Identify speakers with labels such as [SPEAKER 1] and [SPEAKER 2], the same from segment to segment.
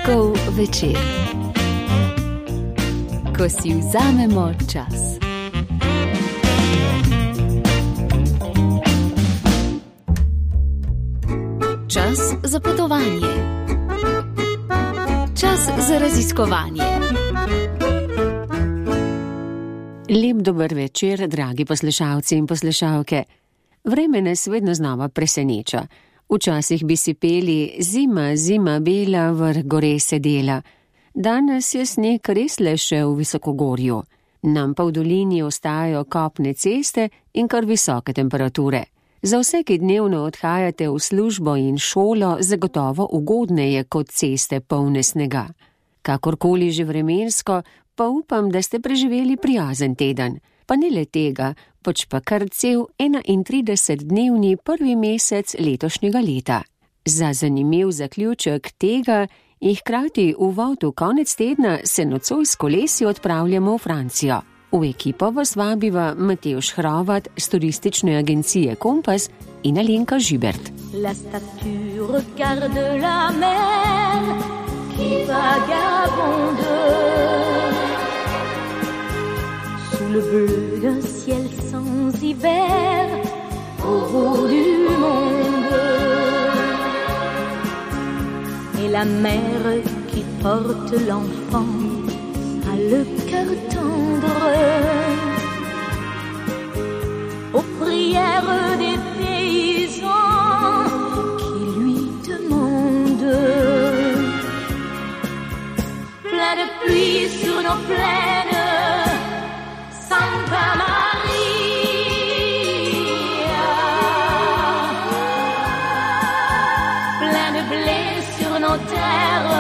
[SPEAKER 1] Petkov večer, ko si vzamemo čas. Čas za potovanje. Čas za raziskovanje.
[SPEAKER 2] Lep dober večer, dragi poslušalci in poslušalke. Vreme nas vedno znova preseneča. Včasih bi si peli zima, zima bela, vrh gore sedela. Danes je sneg res le še v visokogorju. Nam pa v dolini ostajajo kopne ceste in kar visoke temperature. Za vse, ki dnevno odhajate v službo in šolo, zagotovo ugodneje kot ceste polne snega. Kakorkoli že vremensko, pa upam, da ste preživeli prijazen teden. Pa ne le tega, pač pa kar cel 31-dnevni prvi mesec letošnjega leta. Za zanimiv zaključek tega in hkrati uvod v konec tedna se nocoj s kolesi odpravljamo v Francijo. V ekipo vas vabiva Matevž Hrovat z turistične agencije Kompas in Alenka Žibert.
[SPEAKER 3] La statue regarde la mer qui vagabonde sous le bleu d'un ciel sans hiver au bout du monde. Et la mère qui porte l'enfant a le cœur tendre aux prières des paysans qui lui demandent. Plein de pluie sur nos plaines, Santa Maria. Plein de blé sur nos terres,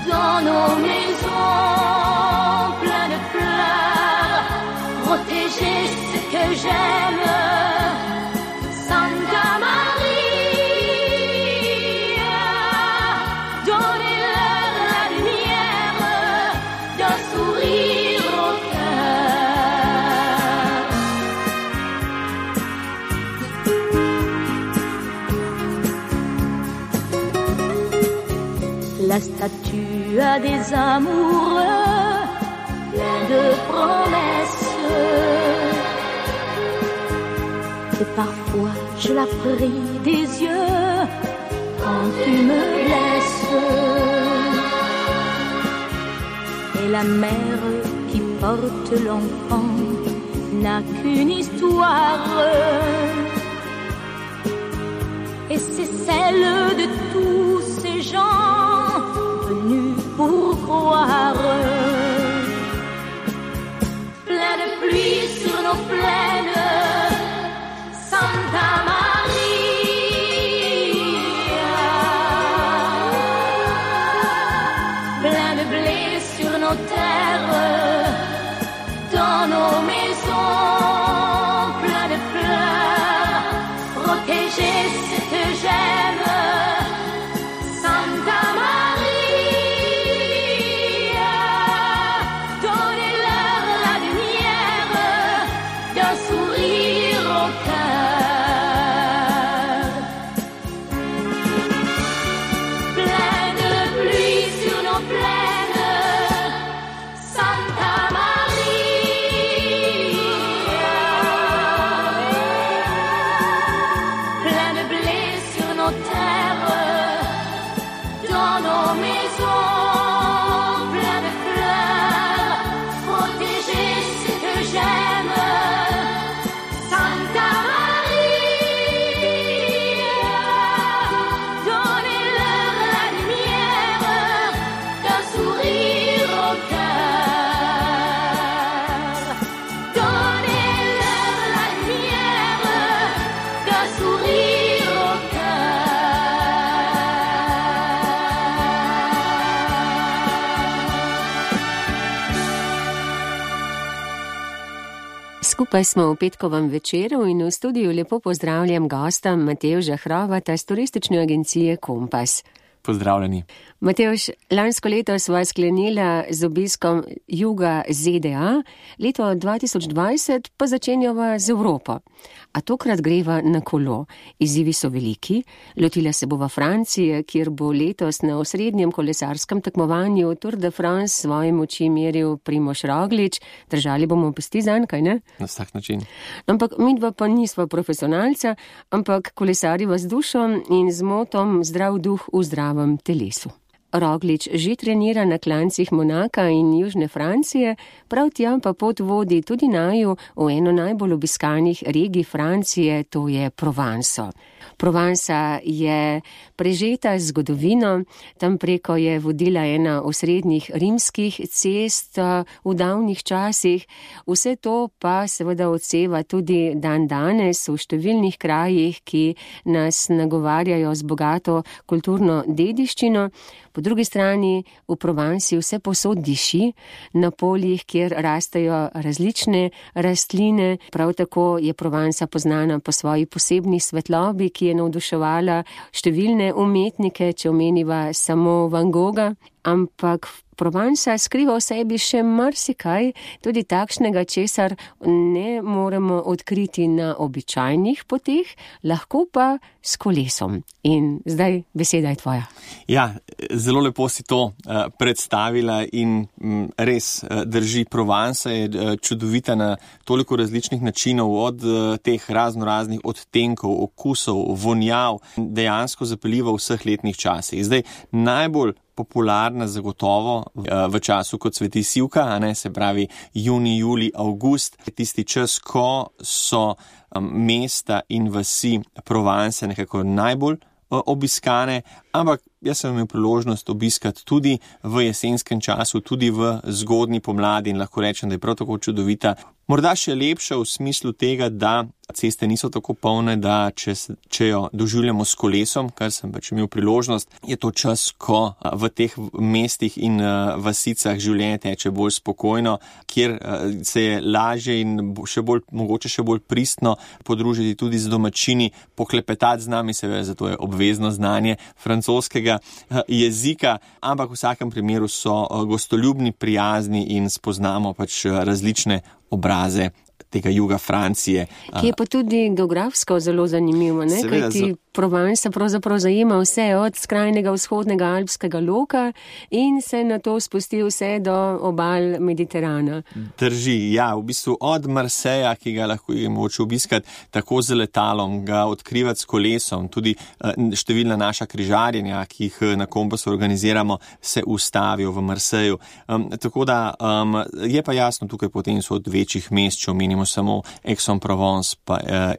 [SPEAKER 3] dans nos maisons, plein de fleurs, protéger ce que j'aime, Santa Maria. Donnez-leur la lumière d'un sourire au cœur. La statue a des amoureux, plein de promesses. Et parfois je la prie des yeux quand tu me laisses. Et la mère qui porte l'enfant n'a qu'une histoire, et c'est celle de tous ces gens venus pour croire. Plein de pluie sur nos plaines, Santa Maria. Plein de blé sur nos terres, dans nos maisons, plein de fleurs, protéger ce que j'aime, Santa Maria. Donnez-leur la lumière d'un sourire au cœur. Plein de pluie sur nos plaines, Santa Maria. Plein de blé sur nos terres, dans nos maisons, plein de fleurs, protéger ce que j'aime, Santa Maria. Donnez-leur la lumière d'un sourire au cœur. Donnez-leur la lumière d'un sourire au
[SPEAKER 2] Skupaj smo v petkovem večeru in v studiu lepo pozdravljam gosta Matevža Hrovata z turistične agencije Kompas.
[SPEAKER 4] Pozdravljeni.
[SPEAKER 2] Matevž, lansko leto sva sklenila z obiskom juga ZDA, leto 2020 pa začenjava z Evropo. A tokrat greva na kolo. Izzivi so veliki, lotila se bova Francije, kjer bo letos na osrednjem kolesarskem tekmovanju Tour de France svoje moči meril Primož Roglič. Držali bomo pesti zanj, kaj ne?
[SPEAKER 4] Na vsak način.
[SPEAKER 2] Ampak midva pa nisva profesionalca, ampak kolesariva z dušo in z motom zdrav duh v zdravem telesu. Roglič že trenira na klancih Monaka in Južne Francije, prav tja pa pot vodi tudi naju v eno najbolj obiskanih regij Francije, to je Provenco. Provenca je prežeta z zgodovino, tam preko je vodila ena osrednjih rimskih cest v davnih časih, vse to pa seveda odseva tudi dan danes v številnih krajih, ki nas nagovarjajo z bogato kulturno dediščino. Po drugi strani v Provenci vse povsod diši, na poljih, kjer rastejo različne rastline, prav tako je Provenca poznana po svoji posebni svetlobi, ki je navduševala številne umetnike, če omeniva samo Van Gogha, ampak Provenca skriva v sebi še marsikaj, tudi takšnega, česar ne moremo odkriti na običajnih poteh, lahko pa s kolesom. In zdaj beseda je tvoja.
[SPEAKER 4] Ja, zelo lepo si to predstavila in res drži. Provenca je čudovita na toliko različnih načinov, od teh raznoraznih odtenkov, okusov, vonjav, dejansko zapeljiva v vseh letnih časih. Zdaj, najbolj popularna zagotovo v času, ko cveti sivka, se pravi junij, julij, avgust, tisti čas, ko so mesta in vasi Provence nekako najbolj obiskane, ampak jaz sem imel priložnost obiskati tudi v jesenskem času, tudi v zgodnji pomladi in lahko rečem, da je prav tako čudovita. Morda še lepša v smislu tega, da ceste niso tako polne, da če jo doživljamo s kolesom, kar sem pač imel priložnost, je to čas, ko v teh mestih in vasicah življenje teče bolj spokojno, kjer se je lažje in mogoče še bolj pristno podružiti tudi z domačini, poklepetati z nami, seveda zato je obvezno znanje francoskega jezika, ampak v vsakem primeru so gostoljubni, prijazni in spoznamo pač različne obraze tega juga Francije.
[SPEAKER 2] Ki je pa tudi geografsko zelo zanimivo, ne? Kajti Provenca pravzaprav zajema vse od skrajnega vzhodnega alpskega loka in se na to spusti vse do obal Mediterana.
[SPEAKER 4] Drži, ja, v bistvu od Marseja, ki ga lahko je moče obiskati tako z letalom, ga odkrivati s kolesom, tudi številna naša križarjenja, ki jih na Kompasu organiziramo, se ustavijo v Marseju. Tako da je pa jasno, tukaj potem so od večjih mest, če omenimo samo Aix-en-Provence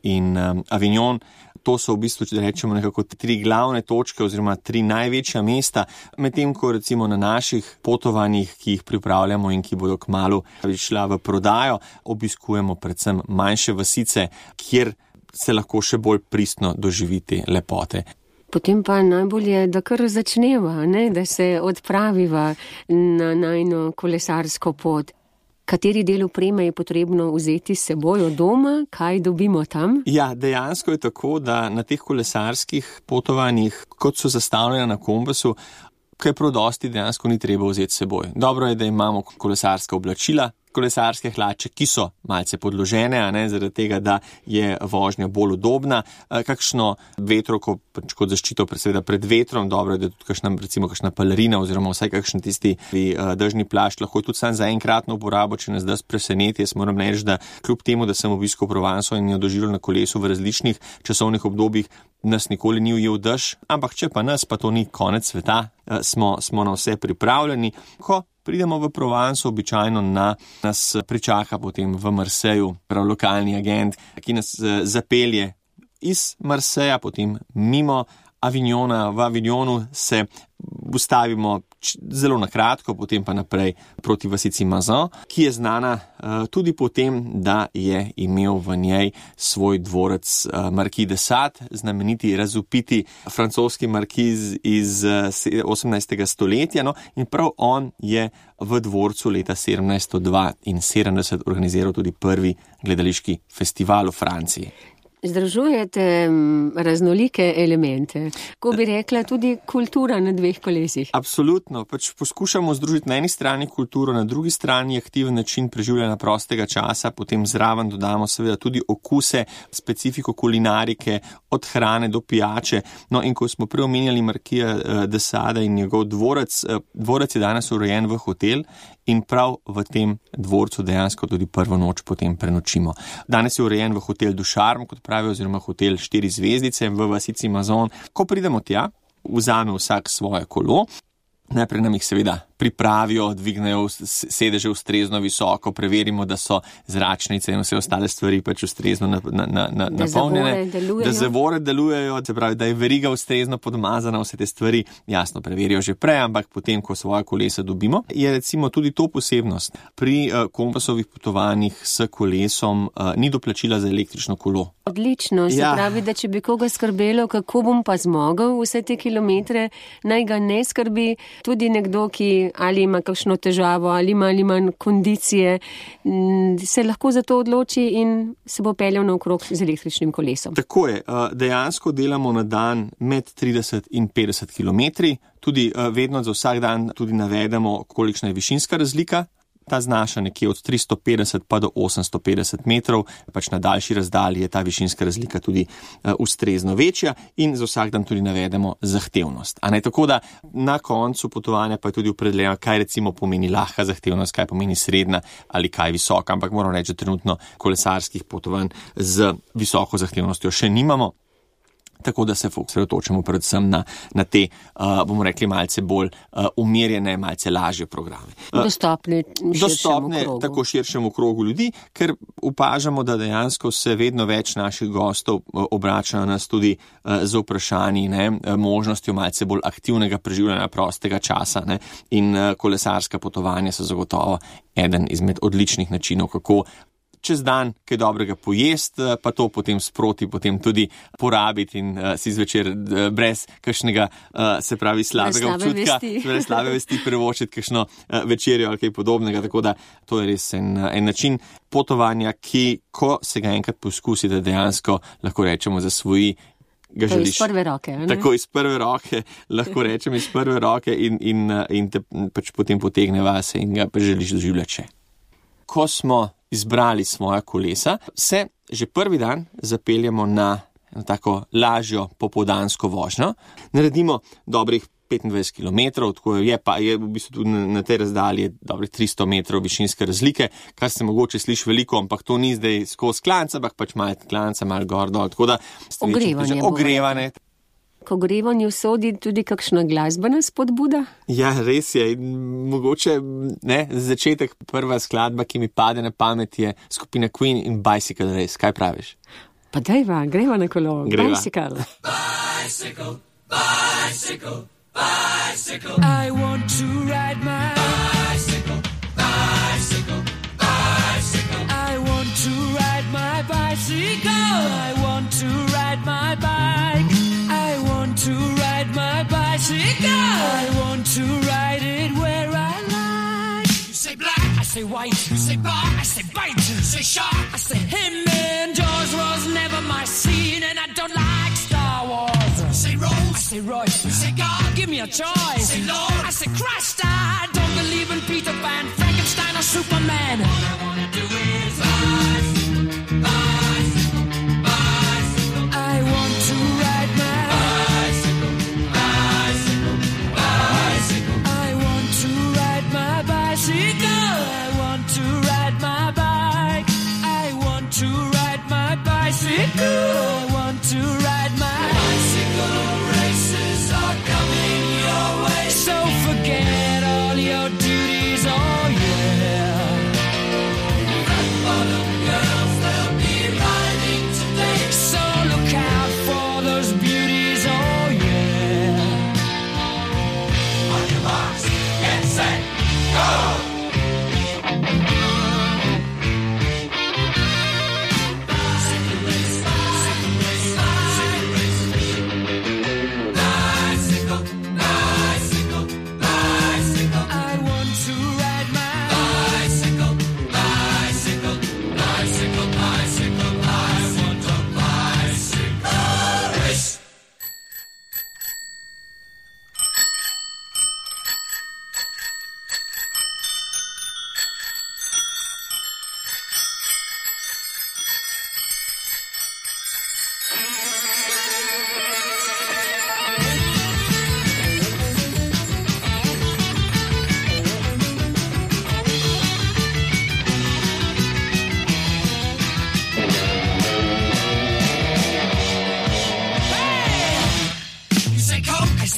[SPEAKER 4] in Avignon. To so v bistvu, če rečemo, nekako 3 glavne točke oziroma 3 največja mesta, medtem ko recimo na naših potovanjih, ki jih pripravljamo in ki bodo kmalu šla v prodajo, obiskujemo predvsem manjše vasice, kjer se lahko še bolj pristno doživi te lepote.
[SPEAKER 2] Potem pa najbolje, da kar začneva, ne? Da se odpraviva na najino kolesarsko pot. Kateri del opreme je potrebno vzeti s seboj od doma, kaj dobimo tam?
[SPEAKER 4] Ja, dejansko je tako, da na teh kolesarskih potovanjih, kot so zastavljene na Kompasu, kaj prav dosti dejansko ni treba vzeti s seboj. Dobro je, da imamo kolesarska oblačila, kolesarske hlače, ki so malce podložene, zaradi tega, da je vožnja bolj udobna, kakšno vetrovko kot zaščito pred vetrom, dobro je, da tudi kakšna pelerina oziroma vsaj kakšen tisti dežni plašč, lahko tudi sam za enkratno uporabo, če nas da preseneti. Jaz moram reči, da kljub temu, da sem obiskal Provenco in jo doživel na kolesu v različnih časovnih obdobjih, nas nikoli ni ujel dež, ampak če pa nas, pa to ni konec sveta, smo na vse pripravljeni. Ko pridemo v Provenco, običajno nas pričaka potem v Marseju prav lokalni agent, ki nas zapelje iz Marseja, potem mimo Avignona. V Avignonu se ustavimo zelo na kratko, potem pa naprej proti vasici Mazan, ki je znana tudi po tem, da je imel v njej svoj dvorec Marquis de Sade, znameniti razvpiti francoski markiz iz 18. stoletja, in prav on je v dvorcu leta 1772 organiziral tudi prvi gledališki festival v Franciji.
[SPEAKER 2] Združujete raznolike elemente, ko bi rekla tudi kultura na dveh kolesih.
[SPEAKER 4] Absolutno, poskušamo združiti na eni strani kulturo, na drugi strani aktiven način preživljanja prostega časa, potem zraven dodamo seveda tudi okuse, specifiko kulinarike, od hrane do pijače. No in ko smo prej omenjali Marquisa de Sade in njegov dvorec, dvorec je danes urejen v hotel in prav v tem dvorcu dejansko tudi prvo noč potem prenočimo. Danes je urejen v hotel Du Charme, kot pravijo, oziroma hotel 4 zvezdice v vasici Mazon. Ko pridemo tja, vzame vsak svoje kolo, najprej nam jih seveda pripravijo, dvignejo sedeže ustrezno visoko, preverimo, da so zračnice in vse ostale stvari pač ustrezno napolnjene, da zavore delujejo, se pravi, da je veriga ustrezno podmazana, vse te stvari jasno preverijo že prej, ampak potem, ko svoje kolesa dobimo, je recimo tudi to posebnost. Pri kompasovih potovanjih s kolesom ni doplačila za električno kolo.
[SPEAKER 2] Odlično, se pravi, da če bi koga skrbelo, kako bom pa zmogel vse te kilometre, naj ga ne skrbi tudi nekdo, ki ali ima kakšno težavo, ali ima kondicije, se lahko za to odloči in se bo peljal naokrog z električnim kolesom.
[SPEAKER 4] Tako je, dejansko delamo na dan med 30 in 50 kilometri, tudi vedno za vsak dan tudi navedemo, kolikšna je višinska razlika. Ta znaša nekje od 350 pa do 850 metrov, pač na daljši razdalji je ta višinska razlika tudi ustrezno večja in za vsak dan tudi navedemo zahtevnost. A ne tako, da na koncu potovanja pa je tudi opredeljeno, kaj recimo pomeni lahka zahtevnost, kaj pomeni srednja ali kaj visoka, ampak moram reči, da trenutno kolesarskih potovanj z visoko zahtevnostjo še nimamo. Tako da se osredotočamo predvsem na te, bomo rekli, malce bolj umirjene, malce lažje programe.
[SPEAKER 2] Dostopne
[SPEAKER 4] tako širšemu krogu ljudi, ker opažamo, da dejansko se vedno več naših gostov obrača na nas tudi z vprašanji, možnostjo malce bolj aktivnega preživljanja prostega časa, in kolesarska potovanja so zagotovo eden izmed odličnih načinov, kako čez dan kaj dobrega pojest, pa to potem sproti potem tudi porabiti in si zvečer brez kakšnega, se pravi, slabega občutka, brez slabe vesti privoščiti kakšno večerjo ali kaj podobnega, tako da to je res en način potovanja, ki, ko se ga enkrat poskusite, dejansko lahko rečemo zasvoji, ga želiš.
[SPEAKER 2] Iz prve roke.
[SPEAKER 4] Tako iz prve roke, lahko rečem iz prve roke in te pač potem potegne vase in ga želiš doživljati še. Ko smo izbrali svoja kolesa, se že prvi dan zapeljamo na tako lažjo popoldansko vožnjo. Naredimo dobrih 25 km, tako je v bistvu tudi na tej razdalji dobrih 300 metrov višinske razlike, kar se mogoče sliši veliko, ampak to ni zdaj skozi klanca, ampak pač malo klanca, malo gor dol, tako da ogrevanje.
[SPEAKER 2] K ogrevanju sodi tudi kakšna glasbena spodbuda?
[SPEAKER 4] Ja, res je. Mogoče za začetek prva skladba, ki mi pade na pamet, je skupina Queen in Bicycle Race. Kaj praviš?
[SPEAKER 2] Pa dajva, greva na kolo.
[SPEAKER 4] Greva.
[SPEAKER 2] Bicycle.
[SPEAKER 5] Bicycle, bicycle, bicycle. I want to ride my bicycle, bicycle, bicycle. I want to ride my bicycle. I want to ride my bike. To ride my bicycle, I want to ride it where I like. You say black, I say white. You say bar, I say bite. You say shark, I say him. And Jaws was never my scene, and I don't like Star Wars. You say Rose, I say Royce. You say God, give me a choice. You say Lord, I say Christ. I don't believe in Peter Pan, Frankenstein or Superman. All I wanna do is bicycle, bicycle, bicycle. I want to ride my I want to ride my bicycle. Races are coming your way, so forget all your duties, oh yeah.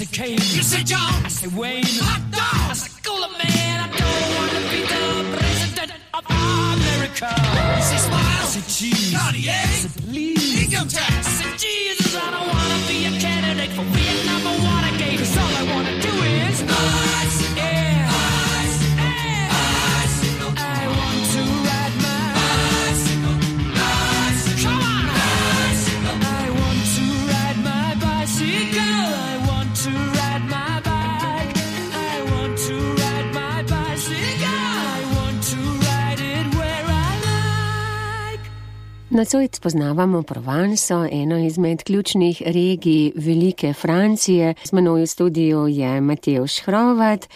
[SPEAKER 5] said, Kane. You said, John. I said, Wayne. Hot dog. I said, Cooler man, I don't want to be the president of America. You said, Smile. I said, Cheese. Cartier. I said, Please. Income tax. I said, Jesus, I don't want to be a candidate for Vietnam or Watergate. 'Cause all I want to do is bicycle. Yeah. Bicycle. Yeah. Bicycle. I want to ride my bicycle. Bicycle. Come on. Bicycle. I want to ride my bicycle. I want to ride my bike. I want to ride my bicycle. I want to ride it where I like.
[SPEAKER 2] Nocoj spoznavamo Provanso, eno izmed ključnih regij Velike Francije. Z menoj v studiu je Matevž Hrovat.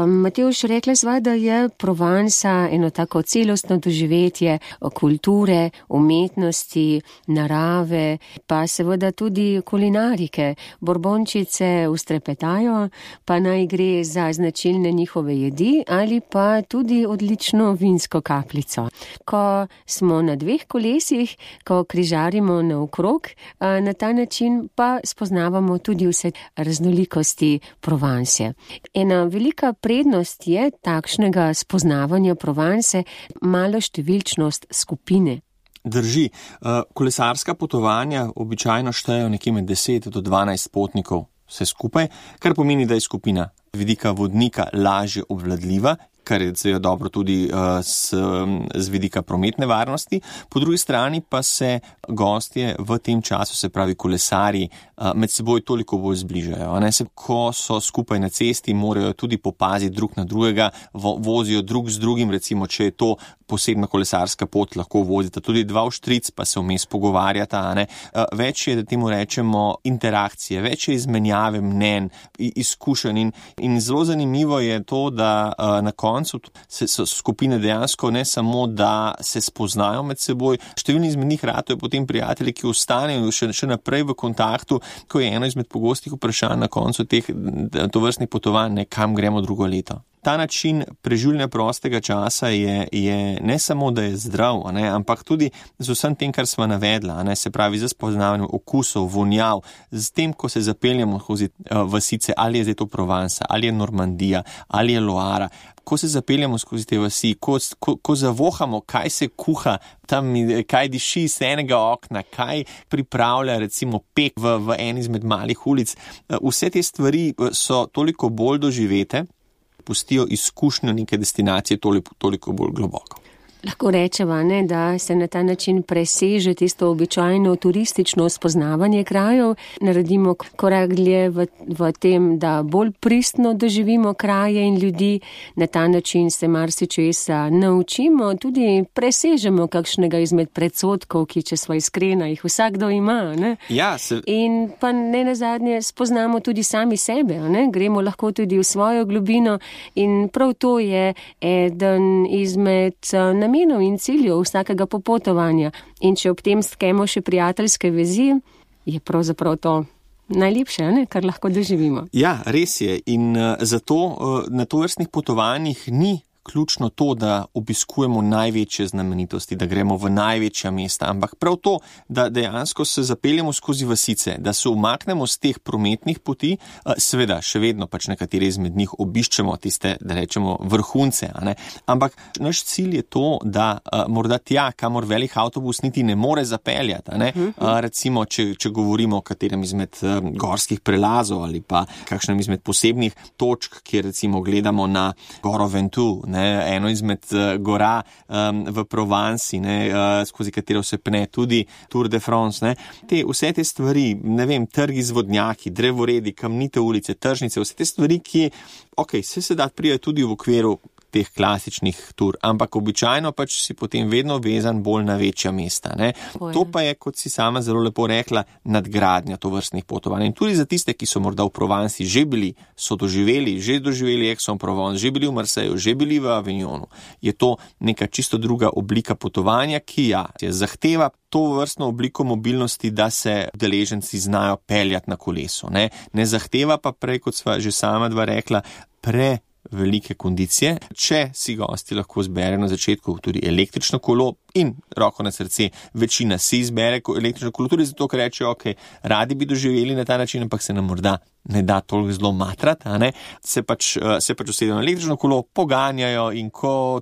[SPEAKER 2] Matevž, rekla sva, da je Provansa eno tako celostno doživetje kulture, umetnosti, narave, pa seveda tudi kulinarike. Borbončice ustrepetajo, pa naj gre za značilne njihove jedi ali pa tudi odlično vinsko kapljico. Ko smo na dveh kolesih, ko križarimo naokrog, na ta način pa spoznavamo tudi vse raznolikosti Provanse. Ena velika prednost je takšnega spoznavanja Provanse malo številčnost skupine.
[SPEAKER 4] Drži, kolesarska potovanja običajno štejejo nekje med 10 do 12 potnikov vse skupaj, kar pomeni, da je skupina vidika vodnika lažje obvladljiva, kar je dobro tudi z vidika prometne varnosti. Po drugi strani pa se gostje v tem času, se pravi kolesarji, med seboj toliko bolj zbližajo. Ko so skupaj na cesti, morajo tudi popaziti drug na drugega, vozijo drug z drugim, recimo, če je to posebna kolesarska pot, lahko vozita tudi dva v štric, pa se vmes pogovarjata. Več je, da temu rečemo, interakcije, več je izmenjave mnenj, izkušenj in zelo zanimivo je to, da na koncu so skupine dejansko ne samo, da se spoznajo med seboj, številni izmed njih ratajo potem prijatelji, ki ostanejo še naprej v kontaktu, ko je eno izmed pogostih vprašanj na koncu teh tovrstnih potovanj, kam gremo drugo leto. Ta način preživljanja prostega časa je ne samo, da je zdrav, ampak tudi z vsem tem, kar sva navedla, se pravi, z spoznavanjem okusov, vonjav, z tem, ko se zapeljamo skozi vasice, ali je zdaj to Provansa, ali je Normandija, ali je Loara, ko se zapeljamo skozi te vasi, ko zavohamo, kaj se kuha tam, kaj diši iz enega okna, kaj pripravlja recimo pek v eni izmed malih ulic, vse te stvari so toliko bolj doživete, pustijo izkušnjo neke destinacije toliko bolj globoko.
[SPEAKER 2] Lahko rečeva, da se na ta način preseže tisto običajno turistično spoznavanje krajev, naredimo korak dlje v tem, da bolj pristno doživimo kraje in ljudi, na ta način se marsičesa naučimo, tudi presežemo kakšnega izmed predsodkov, ki, če sva iskrena, jih vsakdo ima.
[SPEAKER 4] Ja,
[SPEAKER 2] in pa ne nazadnje spoznamo tudi sami sebe, gremo lahko tudi v svojo globino in prav to je eden izmed namenov in ciljev vsakega popotovanja. In če ob tem stkemo še prijateljske vezi, je pravzaprav to najlepše, kar lahko doživimo.
[SPEAKER 4] Ja, res je. In zato na tovrstnih potovanjih ni ključno to, da obiskujemo največje znamenitosti, da gremo v največja mesta, ampak prav to, da dejansko se zapeljemo skozi vasice, da se umaknemo z teh prometnih poti, seveda še vedno nekateri izmed njih obiščemo tiste, da rečemo, vrhunce, ampak naš cilj je to, da morda tja, kamor velik avtobus niti ne more zapeljati, recimo, če govorimo o katerem izmed gorskih prelazov ali pa kakšnem izmed posebnih točk, kjer recimo gledamo na Goro Ventoux, eno izmed gora v Provansi, skozi katero se pne tudi Tour de France. Vse te stvari, trgi z vodnjaki, drevoredi, kamnite ulice, tržnice, vse te stvari, ki se da pride tudi v okviru teh klasičnih tur, ampak običajno si potem vedno vezan bolj na večja mesta. To pa je, kot si sama zelo lepo rekla, nadgradnja tovrstnih potovanj. In tudi za tiste, ki so morda v Provansi že bili, so doživeli Aix-en-Provence, že bili v Marseju, že bili v Avignonu, je to neka čisto druga oblika potovanja, ki zahteva to vrstno obliko mobilnosti, da se udeleženci znajo peljati na kolesu. Ne zahteva pa prej, kot sva že sama dva rekla, velike kondicije. Če si gosti lahko zbere na začetku tudi električno kolo, In roko na srce, večina si izbere električno kolo, tudi zato, ker rečejo, ok, radi bi doživeli na ta način, ampak se nam morda ne da toliko zelo matrati, se pač usedejo na električno kolo, poganjajo in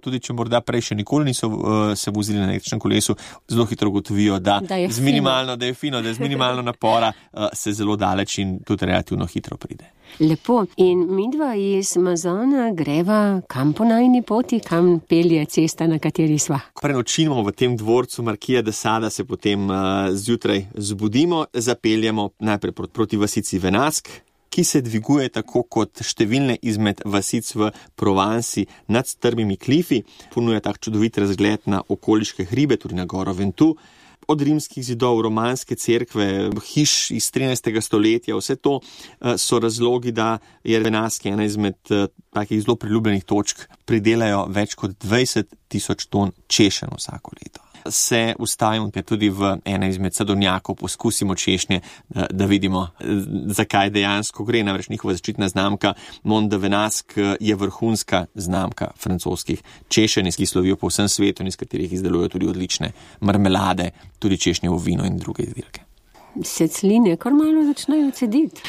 [SPEAKER 4] tudi če morda prej še nikoli niso se vozili na električnem kolesu, zelo hitro ugotovijo, da je z minimalno napora se zelo daleč in tudi relativno hitro pride.
[SPEAKER 2] Lepo. In midva iz Mazona greva kam po najini poti, kam pelje cesta, na kateri sva?
[SPEAKER 4] Prenočimo v tem dvorcu Marquesa de Sada, se potem zjutraj zbudimo, zapeljemo najprej proti vasici Venask, ki se dviguje tako kot številne izmed vasic v Provansi nad strmimi klifi, ponuja tak čudovit razgled na okoliške hribe, tudi na goro Ventoux. Od rimskih zidov, romanske cerkve, hiš iz 13. stoletja, vse to so razlogi, da je Venask ena izmed takih zelo priljubljenih točk. Pridelajo več kot 20,000 ton češenj vsako leto. Se ustavimo tudi v ene izmed sadovnjakov, poskusimo češnje, da vidimo, zakaj dejansko gre. Namreč njihova zaščitna znamka Mont de Venask je vrhunska znamka francoskih češenj, ki slovijo po vsem svetu in iz katerih izdelujejo tudi odlične marmelade, tudi češnjevo vino in druge izdelke.
[SPEAKER 2] Se cline kar malo začnejo cediti.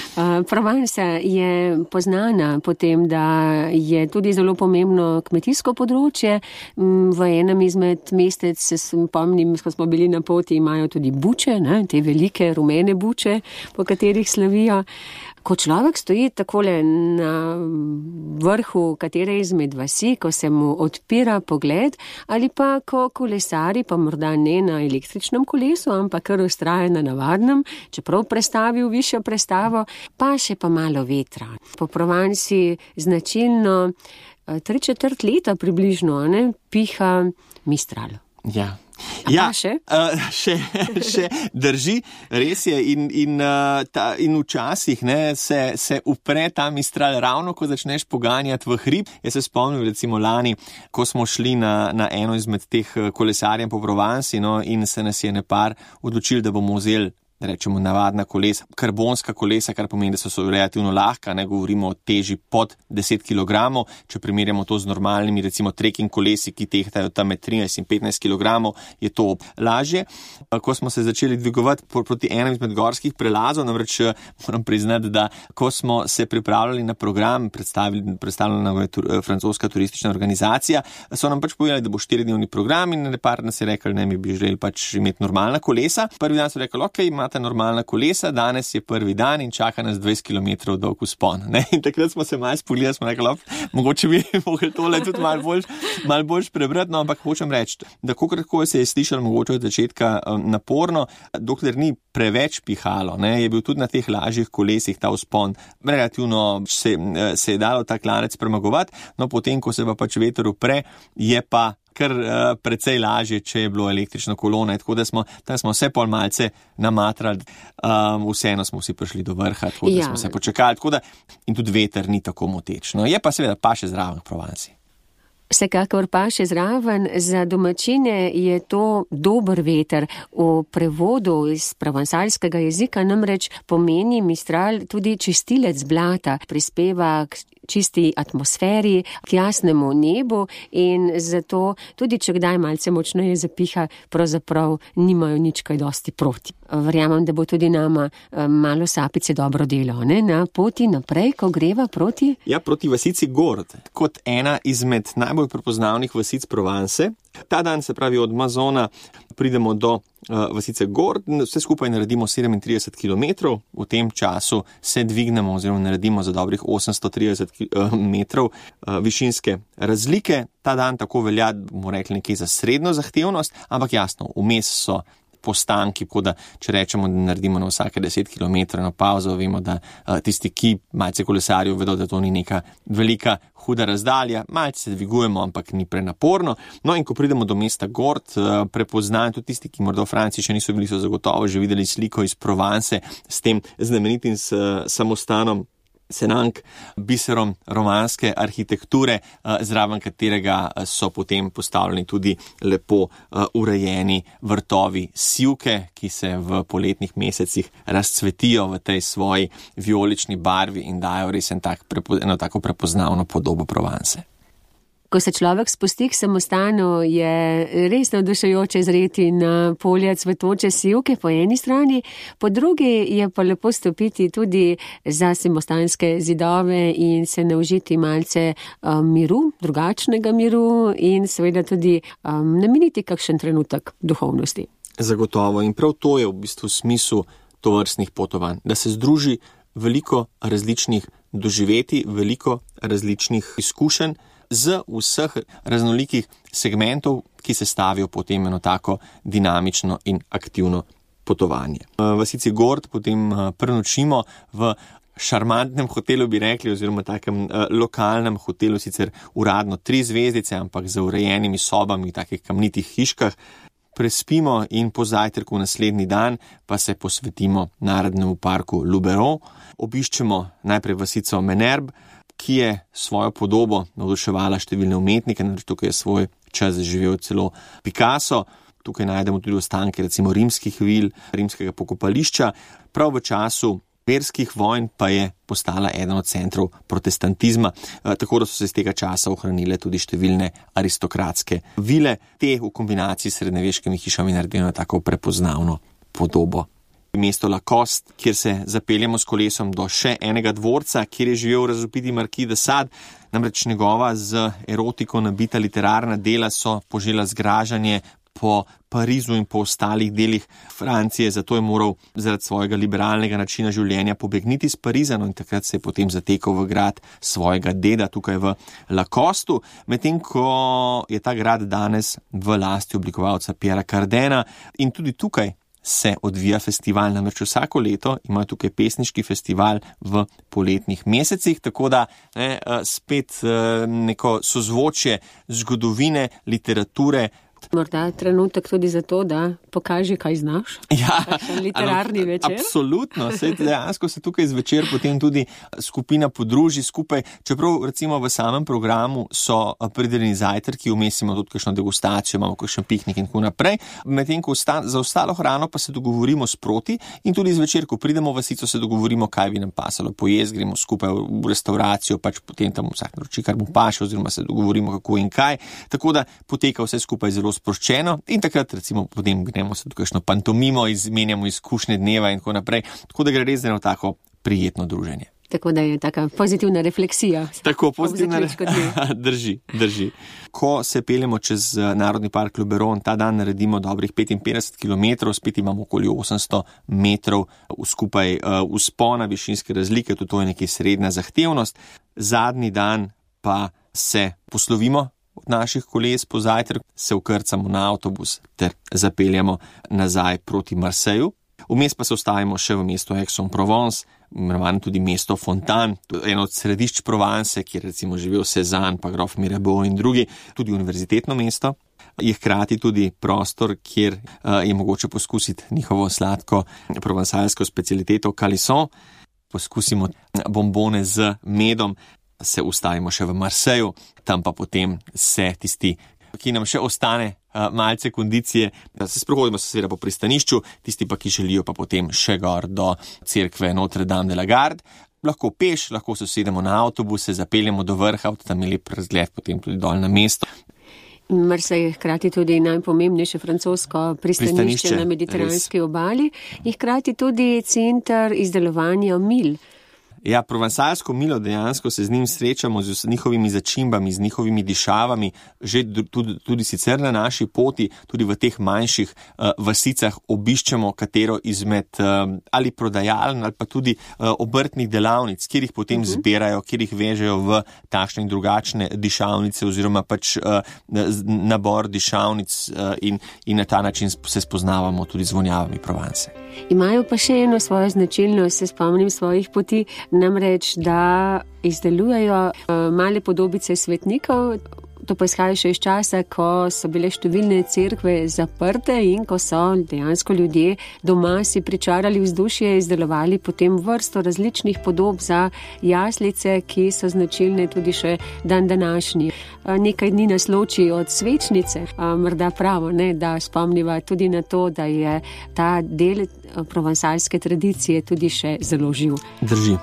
[SPEAKER 2] Provansa je poznana potem, da je tudi zelo pomembno kmetijsko področje. V enem izmed mestec, se spomnim, ko smo bili na poti, imajo tudi buče, te velike rumene buče, po katerih slavijo. Ko človek stoji takole na vrhu katere izmed vasi, ko se mu odpira pogled, ali pa ko kolesari, pa morda ne na električnem kolesu, ampak kar vztraja na navadnem, čeprav prestavi v višjo prestavo, pa še pa malo vetra. Po Provansi značilno 3/4 leta približno piha Mistral.
[SPEAKER 4] Ja.
[SPEAKER 2] Še
[SPEAKER 4] drži, res je in včasih se upre ta Mistral ravno, ko začneš poganjati v hrib. Jaz se spomnim recimo lani, ko smo šli na eno izmed teh kolesarjev po Provansi, in se nas je nepar odločili, da bomo vzeli, rečemo, navadna kolesa, karbonska kolesa, kar pomeni, da so relativno lahka, ne govorimo o teži pod 10 kg, če primerjamo to z normalnimi, recimo trekking kolesi, ki tehtajo tam med 13 in 15 kg, je to lažje. Ko smo se začeli dvigovati proti enem izmed gorskih prelazov, namreč moram priznati, da ko smo se pripravljali na program, predstavljena je francoska turistična organizacija, so nam pač povedali, da bo 4-dnevni program in nepar nas je rekli, mi bi želeli pač imeti normalna kolesa. Prvi dan so rekli, ok, imate normalna kolesa, danes je prvi dan in čaka nas 20 km dolg vzpon. In takrat smo se malo spolili, smo rekli, mogoče bi mogli tole tudi malo bolj prebrati, ampak hočem reči, da koliko se je slišalo mogoče od začetka naporno, dokler ni preveč pihalo, je bil tudi na teh lažjih kolesih ta vzpon, relativno se je dalo ta klanec premagovati, potem, ko se pa pač veter upre, je pa kar precej lažje, če je bilo električno kolo, tako da smo vse pol malce namatrali, vseeno smo vsi prišli do vrha, tako da smo se počakali, in tudi veter ni tako moteč. Je pa seveda pa še zraven Provansi.
[SPEAKER 2] Vsekakor pa še zraven, za domačine je to dober veter. V prevodu iz provansalskega jezika namreč pomeni Mistral tudi čistilec blata, prispeva k čisti atmosferi, k jasnemu nebu in zato tudi, če kdaj malce močneje zapiha, pravzaprav nimajo nič kaj dosti proti. Verjamem, da bo tudi nama malo sapice dobro delo, na poti naprej, ko greva proti?
[SPEAKER 4] Ja, proti vasici Gord, kot ena izmed najbolj prepoznavnih vasic Provence. Ta dan, se pravi od Mazona, pridemo do vasice Gord, vse skupaj naredimo 37 km, v tem času se dvignemo oziroma naredimo za dobrih 830 metrov višinske razlike. Ta dan tako velja, bomo rekli, nekaj za srednjo zahtevnost, ampak jasno, vmes so postanki, da če rečemo, da naredimo na vsake 10 km na pauzo, vemo, da tisti, ki malce kolesarijo, vedo, da to ni neka velika huda razdalja, malce se dvigujemo, ampak ni prenaporno. In ko pridemo do mesta Gord, prepoznajo tudi tisti, ki morda v Franciji še niso bili, so zagotovo že videli sliko iz Provence s tem znamenitim samostanom Senank, biserom romanske arhitekture, zraven katerega so potem postavljeni tudi lepo urejeni vrtovi sivke, ki se v poletnih mesecih razcvetijo v tej svoji vijolični barvi in dajo res eno tako prepoznavno podobo Provence.
[SPEAKER 2] Ko se človek spusti k samostanu, je res navdušujoče zreti na polja cvetoče sivke po eni strani, po drugi je pa lepo stopiti tudi za samostanske zidove in se naužiti malce miru, drugačnega miru in seveda tudi nameniti kakšen trenutek duhovnosti.
[SPEAKER 4] Zagotovo in prav to je v bistvu smisel tovrstnih potovanj, da se združi veliko različnih doživetij, veliko različnih izkušenj z vseh raznolikih segmentov, ki se stavijo potem eno tako dinamično in aktivno potovanje. V vasici Gord potem prenočimo v šarmantnem hotelu, bi rekli, oziroma takem lokalnem hotelu, sicer uradno 3 zvezdice, ampak z urejenimi sobami v takih kamnitih hiškah. Prespimo in po zajtrku naslednji dan pa se posvetimo Narodnemu parku Luberon. Obiščemo najprej vasico Menerbe, ki je svojo podobo navduševala številne umetnike, namreč tukaj je svoj čas živel celo Picasso. Tukaj najdemo tudi ostanke recimo rimskih vil, rimskega pokopališča. Prav v času verskih vojn pa je postala eden od centrov protestantizma, tako da so se z tega časa ohranile tudi številne aristokratske vile. Te v kombinaciji s srednjeveškimi hišami naredijo tako prepoznavno podobo. Mesto Lacoste, kjer se zapeljemo s kolesom do še enega dvorca, kjer je živel razvpiti Marquis de Sade, namreč njegova z erotiko nabita literarna dela so požela zgražanje po Parizu in po ostalih delih Francije, zato je moral zaradi svojega liberalnega načina življenja pobegniti iz Pariza, in takrat se je potem zatekal v grad svojega deda tukaj v Lacostu, medtem ko je ta grad danes v lasti oblikovalca Pierra Cardena in tudi tukaj se odvija festival, namreč vsako leto imajo tukaj pesniški festival v poletnih mesecih, tako da spet neko sozvočje zgodovine, literature.
[SPEAKER 2] Morda trenutek tudi za to, da pokaži, kaj znaš.
[SPEAKER 4] Ja,
[SPEAKER 2] literarni večer.
[SPEAKER 4] Absolutno. Dejansko se tukaj zvečer potem tudi skupina podruži skupaj, čeprav recimo v samem programu so pridelani zajtrki, vmes imamo tudi kakšno degustacijo, imamo kakšen piknik in tako naprej. Medtem ko za ostalo hrano pa se dogovorimo sproti in tudi zvečer, ko pridemo v vasico, se dogovorimo, kaj bi nam pasalo pojesti, gremo skupaj v restauracijo, pač potem tam vsak naroči, kar mu paše, oziroma se dogovorimo, kako in kaj. Tako da poteka vse skupaj zelo sproščeno in takrat recimo potem gremo se tukajšno pantomimo, izmenjamo izkušnje dneva in tako naprej, tako da gre res za eno tako prijetno druženje.
[SPEAKER 2] Tako da je taka pozitivna refleksija.
[SPEAKER 4] Tako, pozitivna drži. Ko se peljemo čez Narodni park Luberon, ta dan naredimo dobrih 55 km, spet imamo okoli 800 metrov skupaj vzpona, višinske razlike, tudi to je nekaj srednja zahtevnost. Zadnji dan pa se poslovimo od naših koles po zajtrku, se vkrcamo na avtobus ter zapeljamo nazaj proti Marseju. Vmes pa se ustavimo še v mestu Aix-en-Provence, imenovano tudi mesto Fontaine, eno od središč Provence, kjer recimo živel Cézanne, pa grof Mirabeau in drugi, tudi univerzitetno mesto. Je hkrati tudi prostor, kjer je mogoče poskusiti njihovo sladko provansalsko specialiteto Calisson. Poskusimo bombone z medom, se ustavimo še v Marseju, tam pa potem se tisti, ki nam še ostane malce kondicije, da se sprehodimo seveda po pristanišču, tisti pa, ki želijo pa potem še gor do cerkve Notre Dame de la Garde. Lahko peš, lahko se usedemo na avtobus, se zapeljemo do vrha, tam je lep razgled potem tudi dol na mesto.
[SPEAKER 2] Marsej je hkrati tudi najpomembnejše francosko pristanišče na mediteranski obali in hkrati tudi center izdelovanja mil.
[SPEAKER 4] Ja, provansalsko milo, dejansko se z njim srečamo, z njihovimi začimbami, z njihovimi dišavami, že tudi sicer na naši poti, tudi v teh manjših vasicah obiščemo katero izmed ali prodajaln ali pa tudi obrtnih delavnic, kjer jih potem zbirajo, kjer jih vežejo v takšne in drugačne dišavnice oziroma pač nabor dišavnic in na ta način se spoznavamo tudi z vonjavami Provence.
[SPEAKER 2] Imajo pa še eno svojo značilnost, se spomnim svojih poti, namreč, da izdelujejo male podobice svetnikov. To pa izhaja še iz časa, ko so bile številne cerkve zaprte in ko so dejansko ljudje doma si pričarali vzdušje, izdelovali potem vrsto različnih podob za jaslice, ki so značilne tudi še dan današnji. Nekaj dni nas loči od svečnice, morda pravo, da spomniva tudi na to, da je ta del provansalske tradicije tudi še zelo živ.
[SPEAKER 4] Drži.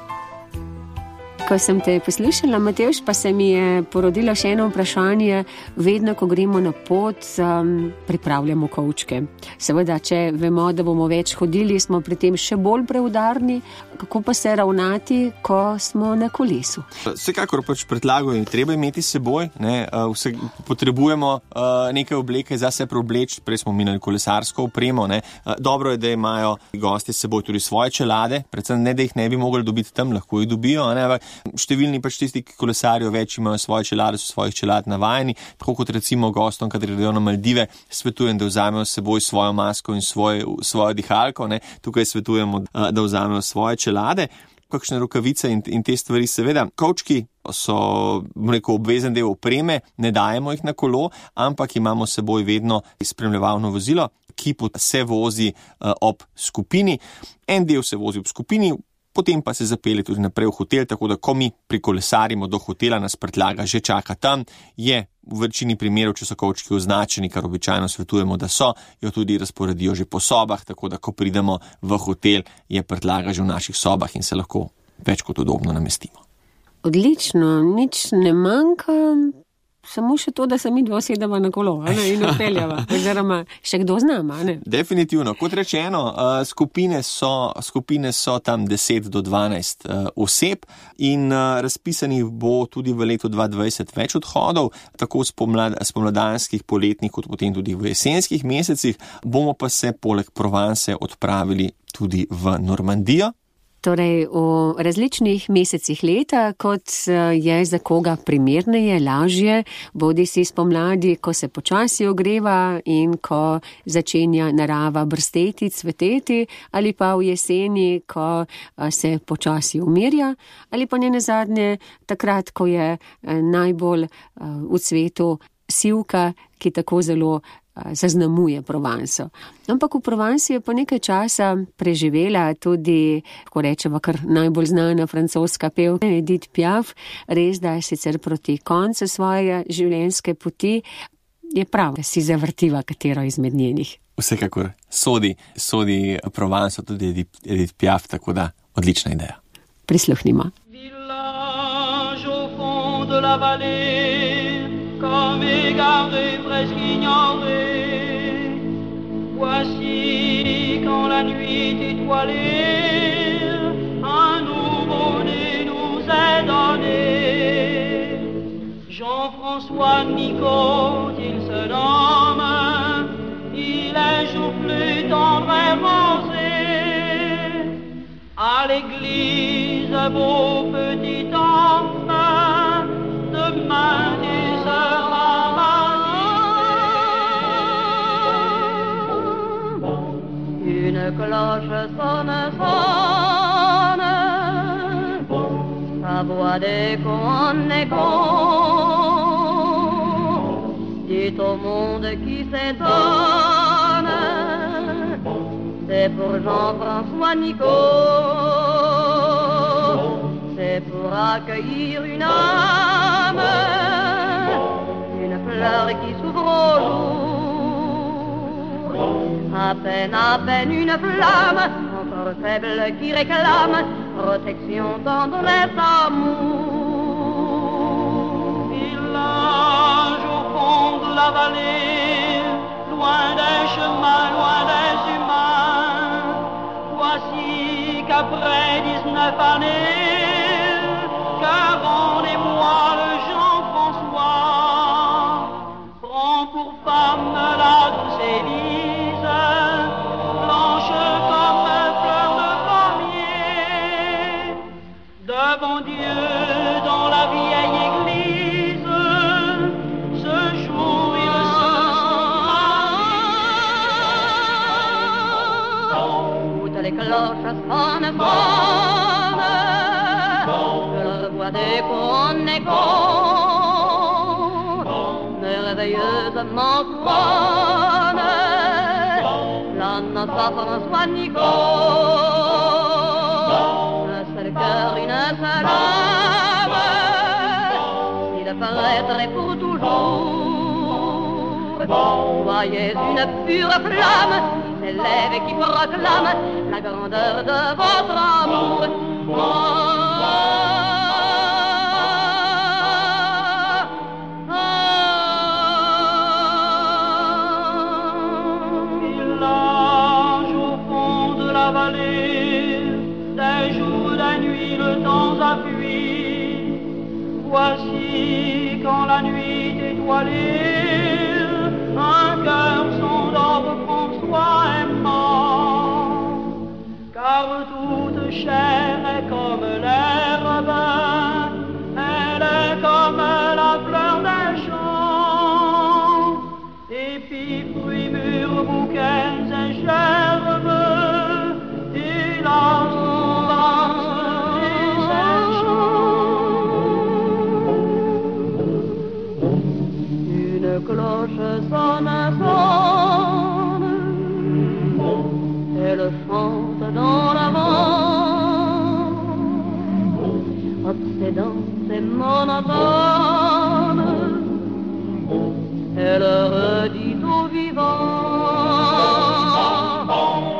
[SPEAKER 2] Ko sem te poslušala, Matevž, pa se mi je porodilo še eno vprašanje. Vedno, ko gremo na pot, pripravljamo kovčke. Seveda, če vemo, da bomo več hodili, smo pri tem še bolj preudarni. Kako pa se ravnati, ko smo na kolesu?
[SPEAKER 4] Vsekakor pač predlagajo, treba imeti s seboj. Potrebujemo neke obleke za se preobleči, prej smo minali kolesarsko opremo. Dobro je, da imajo gosti s seboj tudi svoje čelade, predvsem ne, da jih ne bi mogli dobiti tam, lahko jih dobijo. Številni pač tisti, ki kolesarijo več, imajo svoje čelade, so svojih čelad navajeni, tako kot recimo gostom, kadar gredo na Maldive, svetujem, da vzamejo s seboj svojo masko in svojo dihalko, tukaj svetujemo, da vzamejo svoje čelade, kakšne rokavice in te stvari. Seveda, kovčki so, obvezen del opreme, ne dajemo jih na kolo, ampak imamo s seboj vedno spremljevalno vozilo, ki se vozi ob skupini. En del se vozi ob skupini, potem pa se zapelje tudi naprej v hotel, tako da ko mi prikolesarimo do hotela, nas prtljaga že čaka tam. Je v večini primerov, če so kovčki označeni, kar običajno svetujemo, da so, jo tudi razporedijo že po sobah, tako da ko pridemo v hotel, je prtljaga že v naših sobah in se lahko več kot udobno namestimo.
[SPEAKER 2] Odlično, nič ne manjka, samo še to, da se mi dva sedava na kolo in odpeljava, oziroma še kdo z nama.
[SPEAKER 4] Definitivno, kot rečeno, skupine so tam 10 do 12 oseb in razpisanih bo tudi v letu 2020 več odhodov, tako spomladanskih, poletnih, kot potem tudi v jesenskih mesecih. Bomo pa se poleg Provence odpravili tudi v Normandijo.
[SPEAKER 2] Torej, v različnih mesecih leta, kot je za koga primerneje, lažje, bodi si spomladi, ko se počasi ogreva in ko začenja narava brsteti, cveteti, ali pa v jeseni, ko se počasi umirja, ali pa nenazadnje takrat, ko je najbolj v cvetu sivka, ki tako zelo zaznamuje Provanco. Ampak v Provanci je po nekaj časa preživela tudi, ko rečemo, kar najbolj znana francoska pevka Edith Piaf, res da je sicer proti koncu svoje življenjske poti, je prav, da si zavrtiva katero izmed njenih.
[SPEAKER 4] Vsekakor sodi Provanco tudi Edith Piaf, tako da odlična ideja.
[SPEAKER 2] Prisluhnimo.
[SPEAKER 6] Village au fond de la vallée, comme égaré, presque ignoré. Voici quand la nuit étoilée, un nouveau-né nous est donné. Jean-François Nicot, il se nomme, il est joufflu, tendre et rosé. À l'église, beau petit enfant, demain tu seras baptisé. Une cloche sonne, sonne, sa voix d'écho en écho, dit au monde qui s'étonne, c'est pour Jean-François Nicot, c'est pour accueillir une âme, une fleur qui s'ouvre au jour, à peine une flamme, encore faible qui réclame protection, tendresse, amour. Village au fond de la vallée, loin des chemins, loin des humains, voici qu'après 19 années, que rendez-moi le Jean-François, prend pour femme la douce Élise, blanche comme fleur de pommier, devant Dieu dans la vieille église, ce jour il se toutes les cloches sonnent, que leur voix d'écho en écho, merveilleusement sonne, l'âne François Nicot, un seul cœur, une seule âme, il paraîtrait pour toujours. Voyez une pure flamme qui s'élève et qui proclame la grandeur de votre amour.
[SPEAKER 7] temps a fui. Voici quand la nuit étoilée, un cœur s'endort François aimant, car toute chair est comme l'herbe, elle est comme la fleur des champs, épis, fruits, mûrs, bouquets et gerbes, il a son danse et ses chants. Une cloche sonne, elle chante dans la vent, obsédante et monotone, elle redit aux vivants: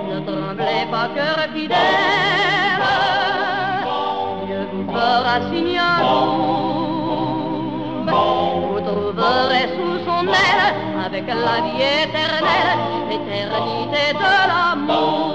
[SPEAKER 7] ne tremblez pas, cœur fidèle, Dieu vous fera signe d'amour, vous trouverez sous son aile, avec la vie éternelle, l'éternité de l'amour.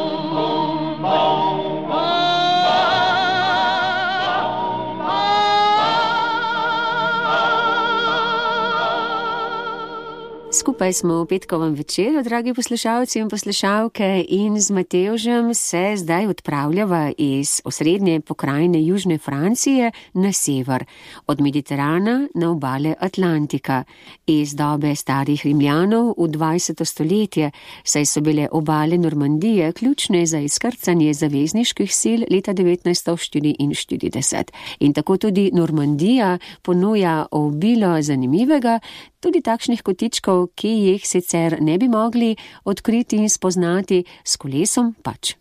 [SPEAKER 2] Skupaj smo v petkovem večeru, dragi poslušalci in poslušalke, in z Matevžem se zdaj odpravljava iz osrednje pokrajine Južne Francije na sever, od Mediterana na obale Atlantika, iz dobe starih Rimljanov v 20. stoletje, saj so bile obale Normandije ključne za izkrcanje zavezniških sil leta 1944. In tako tudi Normandija ponuja obilo zanimivega, tudi takšnih kotičkov, ki jih sicer ne bi mogli odkriti in spoznati s kolesom pač.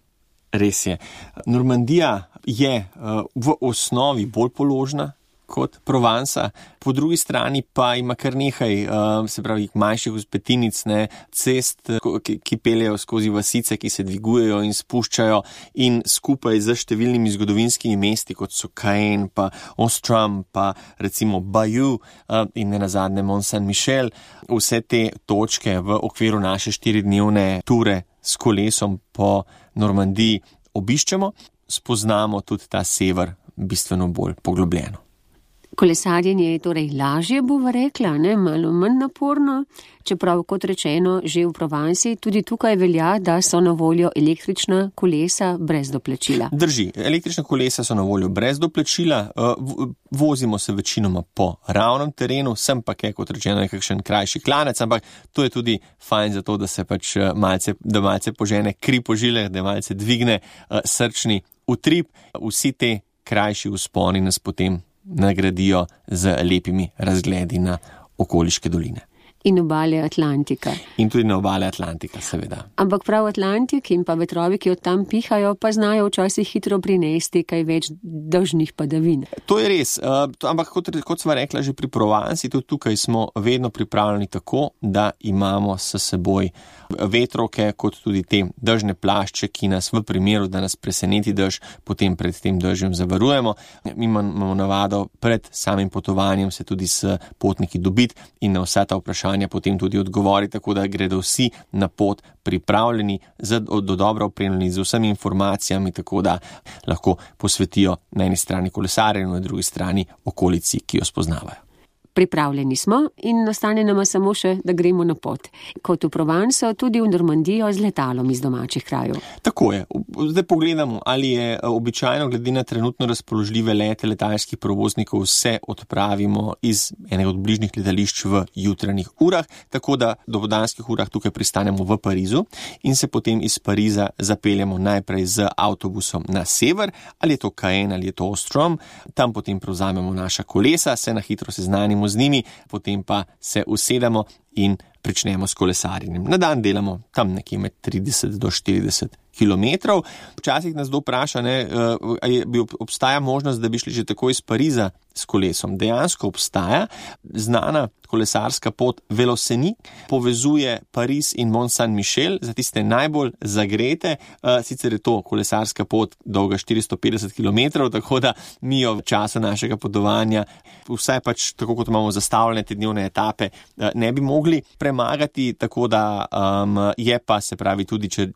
[SPEAKER 4] Res je. Normandija je v osnovi bolj položna kot Provansa, po drugi strani pa ima kar nekaj, se pravi, manjših vzpetinic, cest, ki peljejo skozi vasice, ki se dvigujejo in spuščajo, in skupaj z številnimi zgodovinskimi mesti, kot so Caen, pa Ostrom, pa recimo Bayeux in nenazadnje Mont-Saint-Michel, vse te točke v okviru naše 4-dnevne ture s kolesom po Normandiji obiščemo, spoznamo tudi ta sever bistveno bolj poglobljeno.
[SPEAKER 2] Kolesarjenje je torej lažje, bova rekla, malo manj naporno, čeprav, kot rečeno, že v Provansi tudi tukaj velja, da so na voljo električna kolesa brez doplačila.
[SPEAKER 4] Drži, električna kolesa so na voljo brez doplačila, vozimo se večinoma po ravnem terenu, sem pa kot rečeno nekakšen krajši klanec, ampak to je tudi fajn za to, da se pač malce požene kri po žilah, da malce dvigne srčni utrip. Vsi te krajši vzponi nas potem nagradijo z lepimi razgledi na okoliške doline.
[SPEAKER 2] In obale Atlantika.
[SPEAKER 4] In tudi na obale Atlantika, seveda.
[SPEAKER 2] Ampak prav Atlantik in pa vetrovi, ki od tam pihajo, pa znajo včasih hitro prinesti kaj več dežnih padavin.
[SPEAKER 4] To je res, ampak kot sva rekla že pri Provansi, tudi tukaj smo vedno pripravljeni tako, da imamo s seboj vetrovke, kot tudi te dežne plašče, ki nas v primeru, da nas preseneti dež, potem pred tem dežjem zavarujemo. Mi imamo navado pred samim potovanjem se tudi s potniki dobiti in na vsa ta vprašanja potem tudi odgovori, tako da gredo vsi na pot pripravljeni, dobro opremljeni z vsemi informacijami, tako da lahko posvetijo na eni strani kolesarjenju, na drugi strani okolici, ki jo spoznavajo.
[SPEAKER 2] Pripravljeni smo in ostane nama samo še, da gremo na pot. Kot v Provanso, tudi v Normandijo z letalom iz domačih krajev.
[SPEAKER 4] Tako je. Zdaj pogledamo, ali je običajno glede na trenutno razpoložljive lete letalskih prevoznikov se odpravimo iz enega od bližnjih letališč v jutranjih urah, tako da do podanskih urah tukaj pristanemo v Parizu in se potem iz Pariza zapeljemo najprej z avtobusom na sever, ali je to Caen ali je to Ostrom, tam potem prevzamemo naša kolesa, se na hitro seznanimo z njimi, potem pa se usedemo in pričnemo s kolesarjenjem. Na dan delamo tam nekje med 30 do 40 kilometrov. Včasih nas kdo vpraša, obstaja možnost, da bi šli že tako iz Pariza s kolesom. Dejansko obstaja znana kolesarska pot Veloseni, povezuje Pariz in Mont-Saint-Michel, za tiste najbolj zagrete, sicer je to kolesarska pot dolga 450 kilometrov, tako da mi jo v času našega potovanja, vsaj pač tako kot imamo zastavljene te dnevne etape, ne bi mogli premagati, tako da je pa, se pravi, tudi če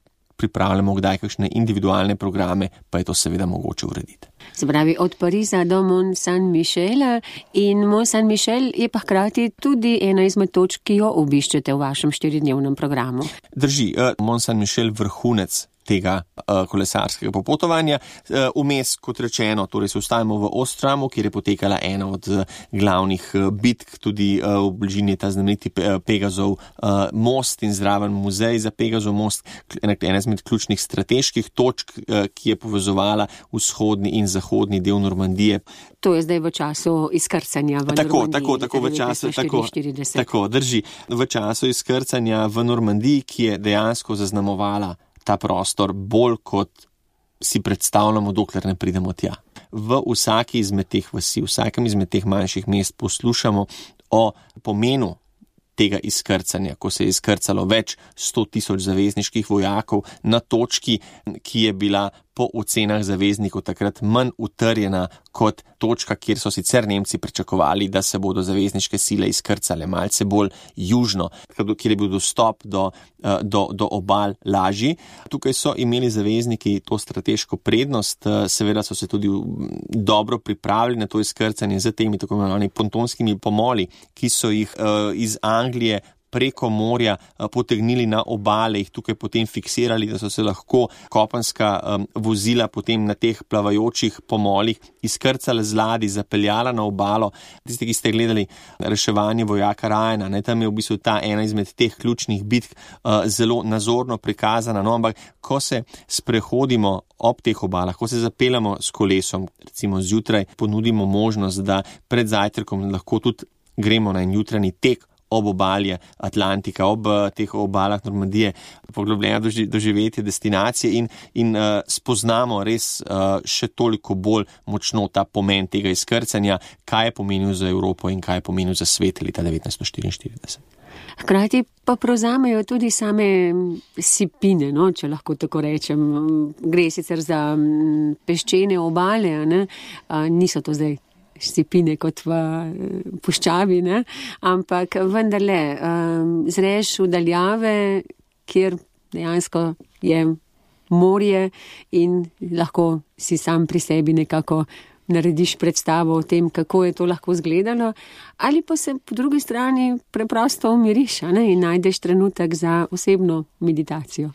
[SPEAKER 4] pripravljamo kdaj kakšne individualne programe, pa je to seveda mogoče urediti.
[SPEAKER 2] Se pravi, od Pariza do Mont Saint-Michela, in Mont Saint-Michel je pa hkrati tudi ena izmed točk, ki jo obiščete v vašem 4-dnevnem programu.
[SPEAKER 4] Drži, Mont Saint-Michel vrhunec tega kolesarskega popotovanja. Vmes, kot rečeno, torej se ustavimo v Ostramu, kjer je potekala ena od glavnih bitk, tudi v bližini je ta znameniti Pegazov most in zraven muzej za Pegazov most, ena izmed ključnih strateških točk, ki je povezovala vzhodni in zahodni del Normandije.
[SPEAKER 2] To je zdaj v času izkrcanja v Normandiji.
[SPEAKER 4] Tako v času, tako, drži. V času izkrcanja v Normandiji, ki je dejansko zaznamovala ta prostor bolj kot si predstavljamo, dokler ne pridemo tja. V vsaki izmed teh vasi, vsakem izmed teh manjših mest poslušamo o pomenu tega izkrcanja, ko se je izkrcalo več 100,000 zavezniških vojakov na točki, ki je bila po ocenah zaveznikov takrat manj utrjena kot točka, kjer so sicer Nemci pričakovali, da se bodo zavezniške sile izkrcale malce bolj južno, kjer je bil dostop do obal lažji. Tukaj so imeli zavezniki to strateško prednost, seveda so se tudi dobro pripravili na to izkrcanje z temi tako imenovanimi pontonskimi pomoli, ki so jih iz Anglije preko morja potegnili na obale, jih tukaj potem fiksirali, da so se lahko kopenska vozila potem na teh plavajočih pomolih izkrcala z ladij, zapeljala na obalo. Tisti, ki ste gledali reševanje vojaka Ryana, tam je v bistvu ta ena izmed teh ključnih bitk zelo nazorno prikazana, ampak ko se sprehodimo ob teh obalah, ko se zapeljamo s kolesom, recimo zjutraj, ponudimo možnost, da pred zajtrkom lahko tudi gremo na en jutranji tek ob obalje Atlantika, ob teh obalah Normandije, poglobljeno doživetje destinacije in spoznamo res še toliko bolj močno ta pomen tega izkrcanja, kaj je pomenil za Evropo in kaj je pomenil za svet leta 1944.
[SPEAKER 2] Hkrati pa prevzamejo tudi same sipine, če lahko tako rečem. Gre sicer za peščene obale, niso to zdaj sipine kot v puščavi, ampak vendarle zreš v daljave, kjer dejansko je morje in lahko si sam pri sebi nekako narediš predstavo o tem, kako je to lahko izgledalo, ali pa se po drugi strani preprosto umiriš in najdeš trenutek za osebno meditacijo.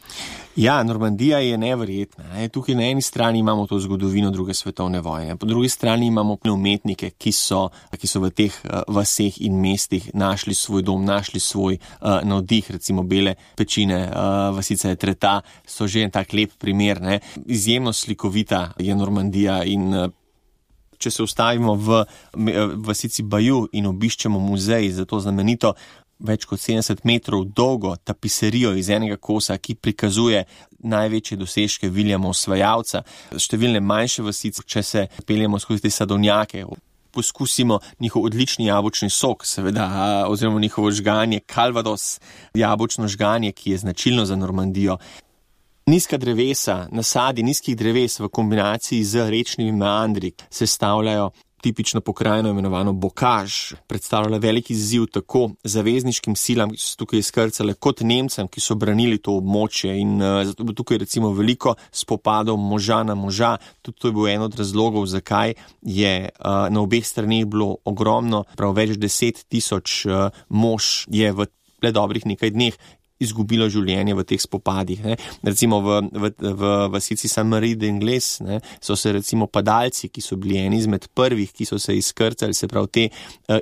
[SPEAKER 4] Ja, Normandija je neverjetna. Tukaj na eni strani imamo to zgodovino druge svetovne vojne, po drugi strani imamo umetnike, ki so v teh vaseh in mestih našli svoj dom, našli svoj navdih, recimo Bele pečine, vasica Etretat so že en tak lep primer. Izjemno slikovita je Normandija in če se ustavimo v vasici Bayeux in obiščemo muzej za to znamenito več kot 70 metrov dolgo tapiserijo iz enega kosa, ki prikazuje največje dosežke Viljama Osvajalca, številne manjše vasice, če se peljemo skozi te sadovnjake, poskusimo njihov odlični jabolčni sok, seveda, oziroma njihovo žganje, Calvados, jabolčno žganje, ki je značilno za Normandijo. Nizka drevesa, nasadi nizkih dreves v kombinaciji z rečnimi meandri sestavljajo tipično pokrajino imenovano Bocage, predstavljala velik izziv tako zavezniškim silam, ki so tukaj izkrcale, kot Nemcem, ki so branili to območje in zato bo tukaj recimo veliko spopadov moža na moža. Tudi to je bil en od razlogov, zakaj je na obeh straneh bilo ogromno, prav več 10,000 mož je v le dobrih nekaj dneh izgubilo življenje v teh spopadih. Recimo v vasici Saint-Marie-d'Angles so se recimo padalci, ki so bili eni izmed prvih, ki so se izkrcali, se pravi te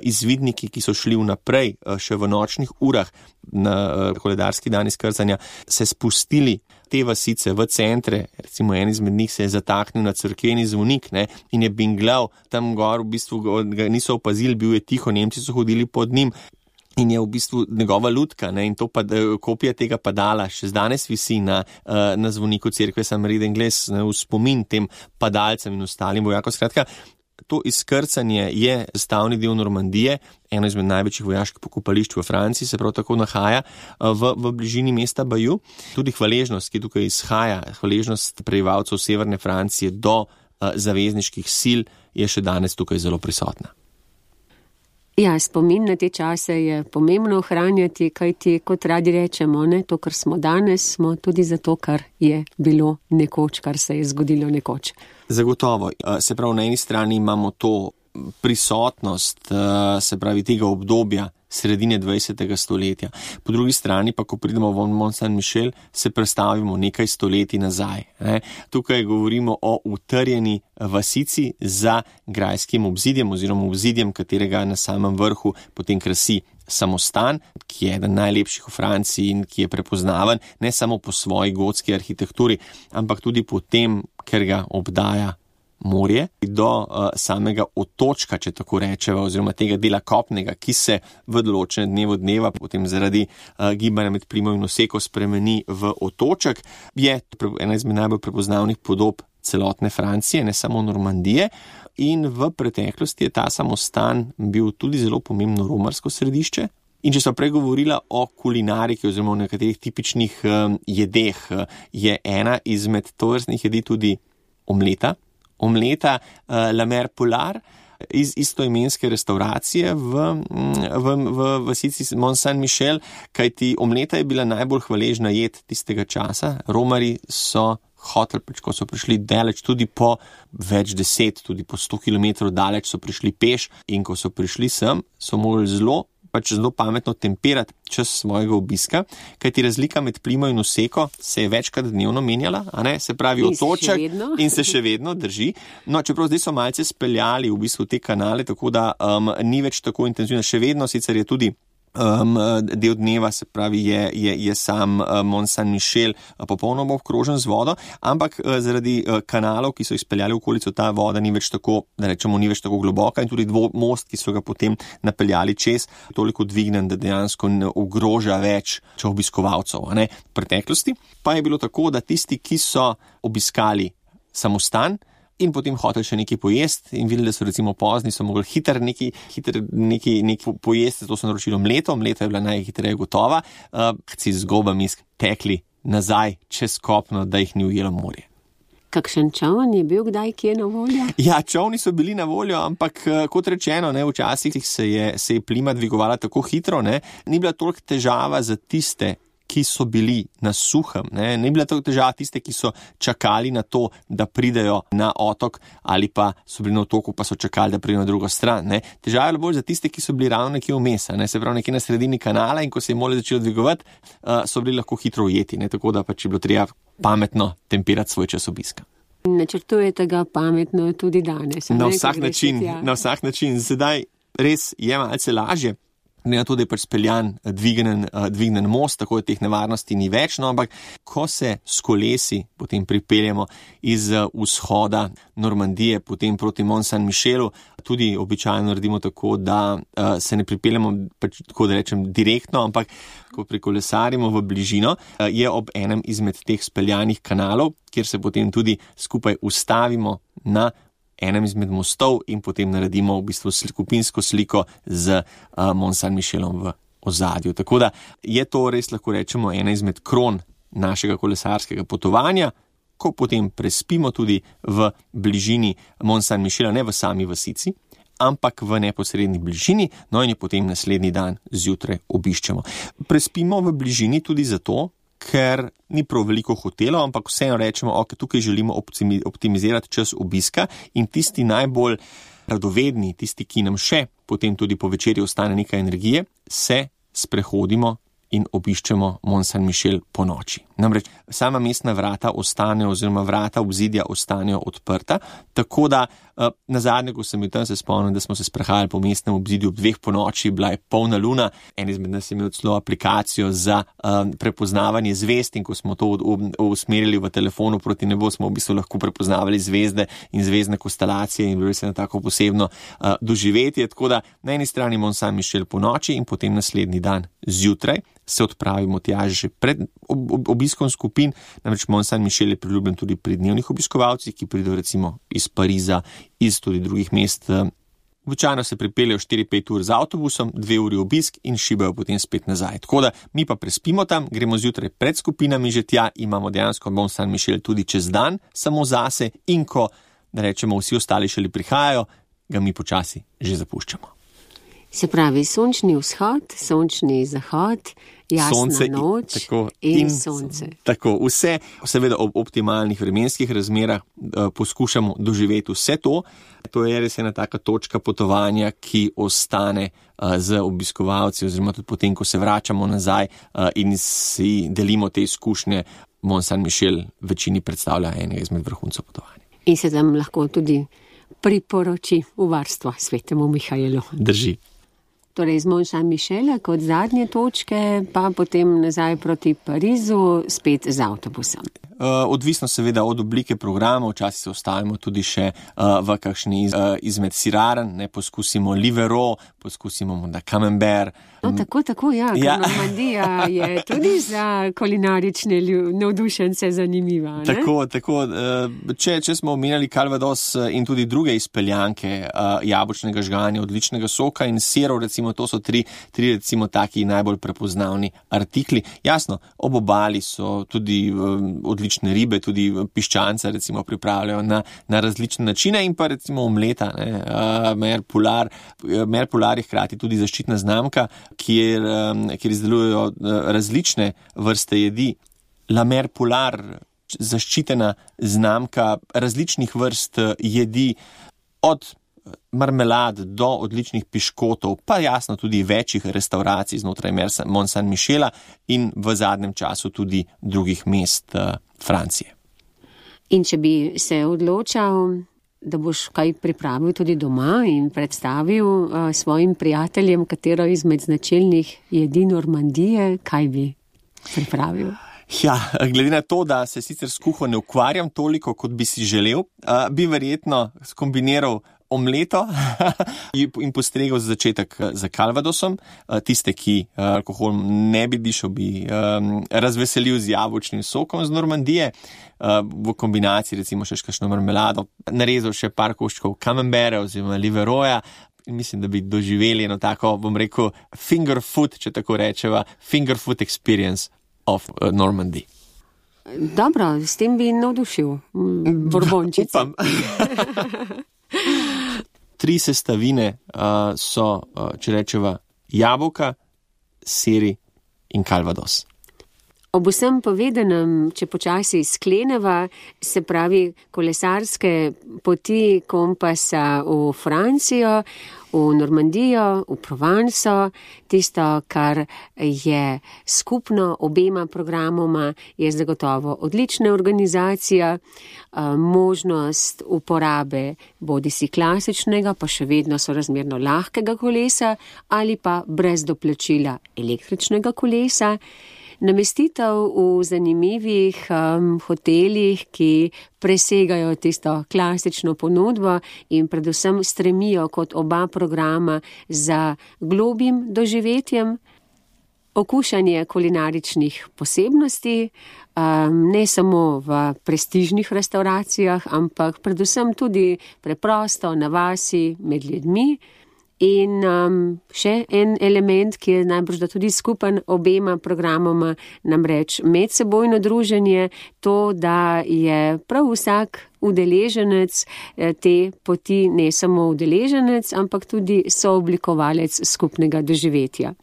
[SPEAKER 4] izvidniki, ki so šli vnaprej še v nočnih urah na koledarski dan izkrcanja, se spustili te vasice v centre, recimo en izmed njih se je zataknil na cerkveni zvonik in je binglav tam gor, v bistvu ga niso opazili, bil je tiho, Nemci so hodili pod njim, in je v bistvu njegova lutka in to kopija tega padala še danes visi na zvoniku cerkve Saint-Marie-d'Angles v spomin tem padalcem in ostalim vojakom. Skratka, to izkrcanje je sestavni del Normandije, eno izmed največjih vojaških pokopališč v Franciji, se prav tako nahaja v bližini mesta Bayeux. Tudi hvaležnost, ki tukaj izhaja, hvaležnost prebivalcev severne Francije do zavezniških sil je še danes tukaj zelo prisotna.
[SPEAKER 2] Ja, spomin na te čase je pomembno ohranjati, kajti kot radi rečemo, ne, to, kar smo danes, smo tudi zato, kar je bilo nekoč, kar se je zgodilo nekoč.
[SPEAKER 4] Zagotovo. Se pravi, na eni strani imamo to prisotnost, se pravi, tega obdobja sredine 20. stoletja. Po drugi strani pa, ko pridemo v Mont Saint-Michel, se predstavimo nekaj stoletij nazaj. Tukaj govorimo o utrjeni vasici za grajskim obzidjem oziroma obzidjem, katerega na samem vrhu potem krasi samostan, ki je eden najlepših v Franciji in ki je prepoznaven ne samo po svoji gotski arhitekturi, ampak tudi po tem, ker ga obdaja morje, do samega otočka, če tako rečeva, oziroma tega dela kopnega, ki se v določene dneva potem zaradi gibanja med Primo in Oseko spremeni v otoček, je ena izmed najbolj prepoznavnih podob celotne Francije, ne samo Normandije, in v preteklosti je ta samostan bil tudi zelo pomembno romarsko središče. In če sem prej govorila o kulinariki oziroma o nekaterih tipičnih jedeh, je ena izmed tovrstnih jedi tudi omleta La Mer Polar iz istoimenske restauracije v vasici Mont Saint-Michel, kajti omleta je bila najbolj hvaležna jed tistega časa. Romari so hoteli, ko so prišli daleč, tudi po več 10, tudi po 100 km daleč so prišli peš, in ko so prišli sem, so morali zelo pametno temperati čas svojega obiska, kajti razlika med Primo in Oseko se je večkrat dnevno menjala, se pravi otoček in se še vedno drži. No, čeprav zdaj so malce speljali v bistvu te kanale, tako da ni več tako intenzivno, še vedno sicer je tudi del dneva, se pravi, je sam Mont Saint-Michel popolnoma obkrožen z vodo, ampak zaradi kanalov, ki so izpeljali v okolico, ta voda ni več tako, da rečemo, ni več tako globoka, in tudi most, ki so ga potem napeljali čez, toliko dvignen, da dejansko ne ogroža več obiskovalcev. V preteklosti pa je bilo tako, da tisti, ki so obiskali samostan in potem hotel še nekaj pojesti in videli, da so recimo pozni, so mogli hitro nekaj pojesti, to so naročili omleto je bila najhitreje gotova, si z gobami tekli nazaj čez kopno, da jih ni ujelo morje.
[SPEAKER 2] Kakšen čoln je bil kdaj kje na voljo?
[SPEAKER 4] Ja, čolni so bili na voljo, ampak kot rečeno, včasih se je plima dvigovala tako hitro, ni bila toliko težava za tiste, ki so bili na suhem, ne bila to težava tiste, ki so čakali na to, da pridejo na otok, ali pa so bili na otoku, pa so čakali, da pridejo na drugo stran. Težava je bolj za tiste, ki so bili ravno nekje vmes, se pravi nekje na sredini kanala, in ko se je moralo začelo dvigovati, so bili lahko hitro ujeti, tako da pač je bilo treba pametno temperati svoj čas obiska.
[SPEAKER 2] Načrtujete ga pametno tudi danes?
[SPEAKER 4] Na vsak način. Sedaj res je malce lažje, ne na to, da je pač speljan dvignen most, tako da teh nevarnosti ni več, ampak ko se s kolesi potem pripeljemo iz vzhoda Normandije potem proti Mont Saint-Michelu, tudi običajno naredimo tako, da se ne pripeljemo, pač, tako da rečem, direktno, ampak ko prikolesarimo v bližino, je ob enem izmed teh speljanih kanalov, kjer se potem tudi skupaj ustavimo na enem izmed mostov in potem naredimo v bistvu skupinsko sliko z Mont Saint-Michelom v ozadju. Tako da je to res, lahko rečemo, ena izmed kron našega kolesarskega potovanja, ko potem prespimo tudi v bližini Mont Saint-Michela, ne v sami vasici, ampak v neposredni bližini, in jo potem naslednji dan zjutraj obiščemo. Prespimo v bližini tudi zato, ker ni prav veliko hotelov, ampak vseeno rečemo, tukaj želimo optimizirati čas obiska, in tisti najbolj radovedni, tisti, ki nam še potem tudi po večerji ostane nekaj energije, se sprehodimo in obiščemo Mont Saint-Michel po noči. Namreč sama mestna vrata ostanejo, oziroma vrata obzidja ostanejo odprta, tako da nazadnje, ko sem bil tam, se spomnim, da smo se sprehajali po mestnem obzidju ob 2 po noči, bila je polna luna, en izmed nas je imel celo aplikacijo za prepoznavanje zvezd, in ko smo to usmerili v telefonu proti nebu, smo v bistvu lahko prepoznavali zvezde in zvezdne konstelacije, in bilo se na tako posebno doživetje. Tako da na eni strani Mont Saint-Michel po noči in potem naslednji dan zjutraj se odpravimo tja že pred obiskom skupin, namreč Mont Saint-Michel je priljubljen tudi pri dnevnih obiskovalcih, ki pridejo recimo iz Pariza, iz tudi drugih mest. Običajno se pripeljejo 4-5 ur z avtobusom, 2 uri obisk in šibajo potem spet nazaj. Tako da mi pa prespimo tam, gremo zjutraj pred skupinami že tja, imamo dejansko Mont Saint-Michel tudi čez dan samo zase, in ko, da rečemo, vsi ostali šele prihajajo, ga mi počasi že zapuščamo.
[SPEAKER 2] Se pravi, sončni vzhod, sončni zahod, jasna
[SPEAKER 4] sonce
[SPEAKER 2] noč in sonce.
[SPEAKER 4] Tako, vse, seveda ob optimalnih vremenskih razmerah poskušamo doživeti vse to. To je res ena taka točka potovanja, ki ostane z obiskovalci, oziroma tudi potem, ko se vračamo nazaj in si delimo te izkušnje. Mont Saint-Michel večini predstavlja enega izmed vrhuncev potovanja.
[SPEAKER 2] In se tam lahko tudi priporoči v varstvo svetemu Mihaelu.
[SPEAKER 4] Drži.
[SPEAKER 2] Torej, z Mont Saint-Michela kot zadnje točke, pa potem nazaj proti Parizu, spet z avtobusom.
[SPEAKER 4] Odvisno seveda od oblike programa, včasih se ostavimo tudi še v kakšni izmed siraren, ne, poskusimo Livero, poskusimo Camembert.
[SPEAKER 2] No, tako, ja. Normandija je tudi za kulinarične navdušence zanimiva. Ne?
[SPEAKER 4] Tako, če smo omenjali Calvados in tudi druge izpeljanke jabolčnega žganja, odličnega soka in sirov, recimo, to so tri recimo taki najbolj prepoznavni artikli. Jasno, ob obali so tudi odlične ribe, tudi piščanca recimo pripravljajo na različne načine in pa recimo omleta, Mer Polar je hkrati tudi zaščitna znamka, kjer izdelujejo različne vrste jedi. La Mer Polar, zaščitena znamka različnih vrst jedi, od marmelad do odličnih piškotov, pa jasno tudi večjih restauracij znotraj Mont Saint-Michela in v zadnjem času tudi drugih mest Francije.
[SPEAKER 2] In če bi se odločal, da boš kaj pripravil tudi doma in predstavil svojim prijateljem, katero izmed značilnih jedi Normandije, kaj bi pripravil?
[SPEAKER 4] Ja, glede na to, da se sicer s kuho ne ukvarjam toliko, kot bi si želel, bi verjetno skombiniral omleto in postregel za začetek za Calvadosom. Tiste, ki alkohol ne bi dišel, bi razveselil z jabolčnim sokom z Normandije, v kombinaciji recimo še kakšno marmelado, narezal še par koščkov Camembert oziroma Liveroja. Mislim, da bi doživeli eno tako, bom rekel, finger food, če tako rečeva, finger food experience of Normandy.
[SPEAKER 2] Dobro, s tem bi navdušil Borbončice.
[SPEAKER 4] Upam. 3 sestavine so, če rečeva, jabolka, siri in Calvados.
[SPEAKER 2] Ob vsem povedanem, če počasi skleneva, se pravi kolesarske poti kompasa v Francijo, v Normandijo, v Provenco, tisto, kar je skupno obema programoma, je zagotovo odlična organizacija, možnost uporabe bodisi klasičnega, pa še vedno sorazmerno lahkega kolesa ali pa brez doplačila električnega kolesa. Namestitev v zanimivih hotelih, ki presegajo tisto klasično ponudbo in predvsem stremijo kot oba programa za globim doživetjem, okušanje kulinaričnih posebnosti, ne samo v prestižnih restauracijah, ampak predvsem tudi preprosto na vasi med ljudmi. In še en element, ki je najbrž da tudi skupen obema programoma, namreč medsebojno druženje, to, da je prav vsak udeleženec te poti ne samo udeleženec, ampak tudi sooblikovalec skupnega doživetja.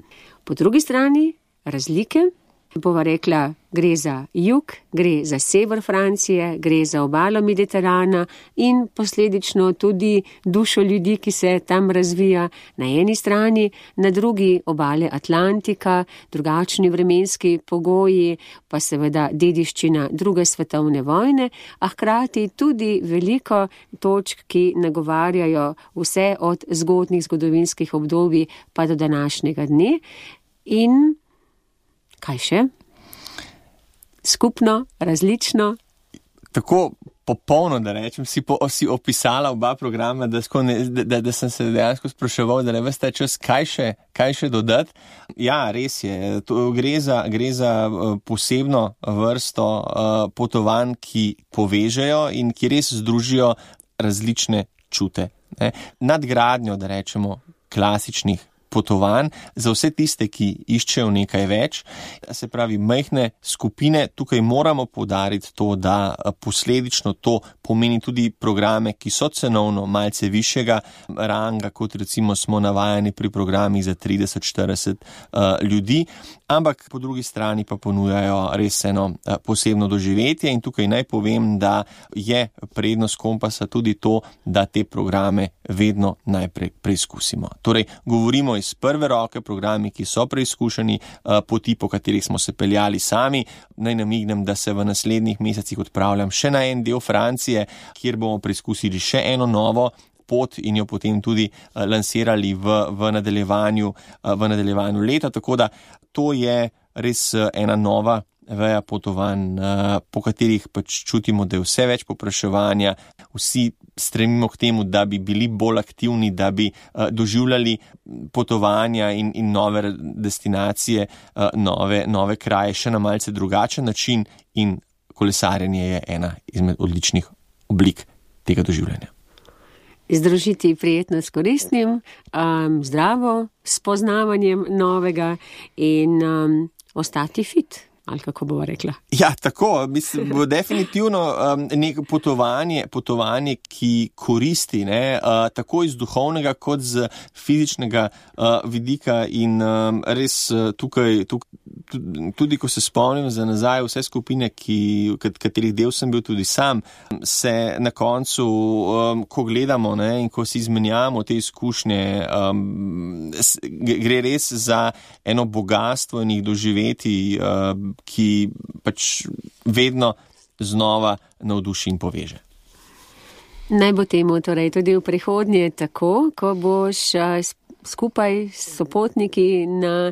[SPEAKER 2] Po drugi strani razlike, bova rekla, gre za jug, gre za sever Francije, gre za obalo Mediterana in posledično tudi dušo ljudi, ki se tam razvija na eni strani, na drugi obale Atlantika, drugačni vremenski pogoji, pa seveda dediščina druge svetovne vojne, a hkrati tudi veliko točk, ki nagovarjajo vse od zgodnjih zgodovinskih obdobij pa do današnjega dne. In kaj še? Skupno, različno? Tako popolno, da rečem, si opisala oba programa, da sem se dejansko spraševal, da ne veste čas, kaj še dodati. Ja, res je. Gre za posebno vrsto potovanj, ki povežejo in ki res združijo različne čute. Nadgradnjo, da rečemo, klasičnih
[SPEAKER 4] potovanj za vse tiste, ki iščejo nekaj več. Se pravi, majhne skupine, tukaj moramo poudariti to, da posledično to pomeni tudi programe, ki so cenovno malce višjega ranga, kot recimo smo navajeni pri programih za 30-40 ljudi, ampak po drugi strani pa ponujajo res eno posebno doživetje in tukaj naj povem, da je prednost Kompasa tudi to, da te programe vedno najprej preizkusimo. Torej, govorimo iz prve roke, programi, ki so preizkušeni, poti, po katerih smo se peljali sami. Naj namignem, da se v naslednjih mesecih odpravljam še na en del Francije, kjer bomo preizkusili še eno novo pot in jo potem tudi lansirali v nadaljevanju leta, tako da to je res ena nova veja potovanj, po katerih pač čutimo, da je vse več povpraševanja, vsi stremimo k temu, da bi bili bolj aktivni, da bi doživljali potovanja in nove destinacije, nove kraje še na malce drugačen način in kolesarjenje je ena izmed odličnih oblik tega doživljanja.
[SPEAKER 2] Združiti prijetno s koristnim, zdravo, s poznavanjem novega in ostati fit. Ali kako bova rekla?
[SPEAKER 4] Ja, tako, mislim, bo definitivno neko potovanje, ki koristi, ne, tako iz duhovnega kot z fizičnega vidika in res tukaj, tudi ko se spomnim za nazaj vse skupine, katerih del sem bil tudi sam, se na koncu, ko gledamo, ne, in ko si izmenjamo te izkušnje, gre res za eno bogastvo in jih doživeti, ki pač vedno znova navduši in poveže.
[SPEAKER 2] Naj bo temu torej tudi v prihodnje tako, ko boš skupaj s sopotniki na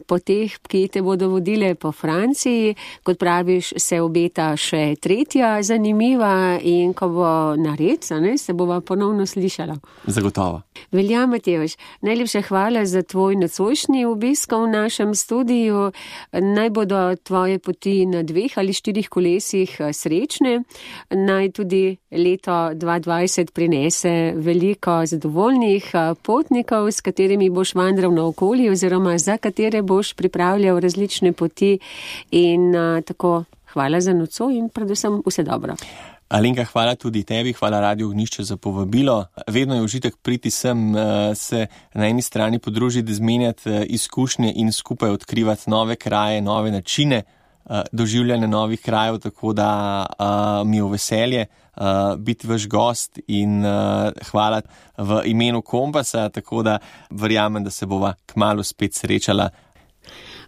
[SPEAKER 2] poteh, ki te bodo vodile po Franciji. Kot praviš, se obeta še tretja zanimiva in ko bo nared, se bova ponovno slišala.
[SPEAKER 4] Zagotovo.
[SPEAKER 2] Velja, Matevž, najlepša hvala za tvoj nocojšnji obisk v našem studiu. Naj bodo tvoje poti na 2 ali 4 kolesih srečne. Naj tudi leto 2020 prinese veliko zadovoljnih potnikov, s katerimi boš vandral naokoli oziroma za katere boš pripravljal različne poti in tako hvala za nocoj in predvsem vse dobro.
[SPEAKER 4] Alenka, hvala tudi tebi, hvala Radio Ognjišče za povabilo. Vedno je užitek priti sem, se na eni strani podružiti, zmenjati izkušnje in skupaj odkrivati nove kraje, nove načine doživljanja novih krajev, tako da mi je v veselje biti vaš gost in hvala v imenu Kompasa, tako da verjamem, da se bova kmalu spet srečala.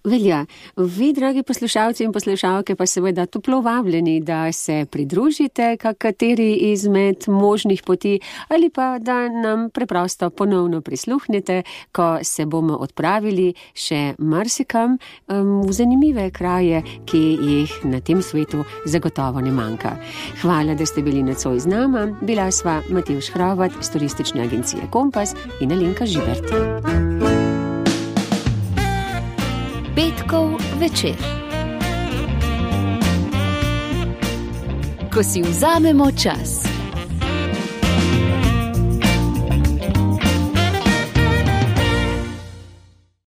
[SPEAKER 2] Velja. Vi, dragi poslušalci in poslušalke, pa seveda toplo vabljeni, da se pridružite kateri izmed možnih poti ali pa da nam preprosto ponovno prisluhnete, ko se bomo odpravili še marsikam v zanimive kraje, ki jih na tem svetu zagotovo ne manjka. Hvala, da ste bili nocoj z nama. Bila sva Matevž Hrovat z turistične agencije Kompas in Alenka Žibert.
[SPEAKER 1] Petkov večer. Ko si vzamemo čas.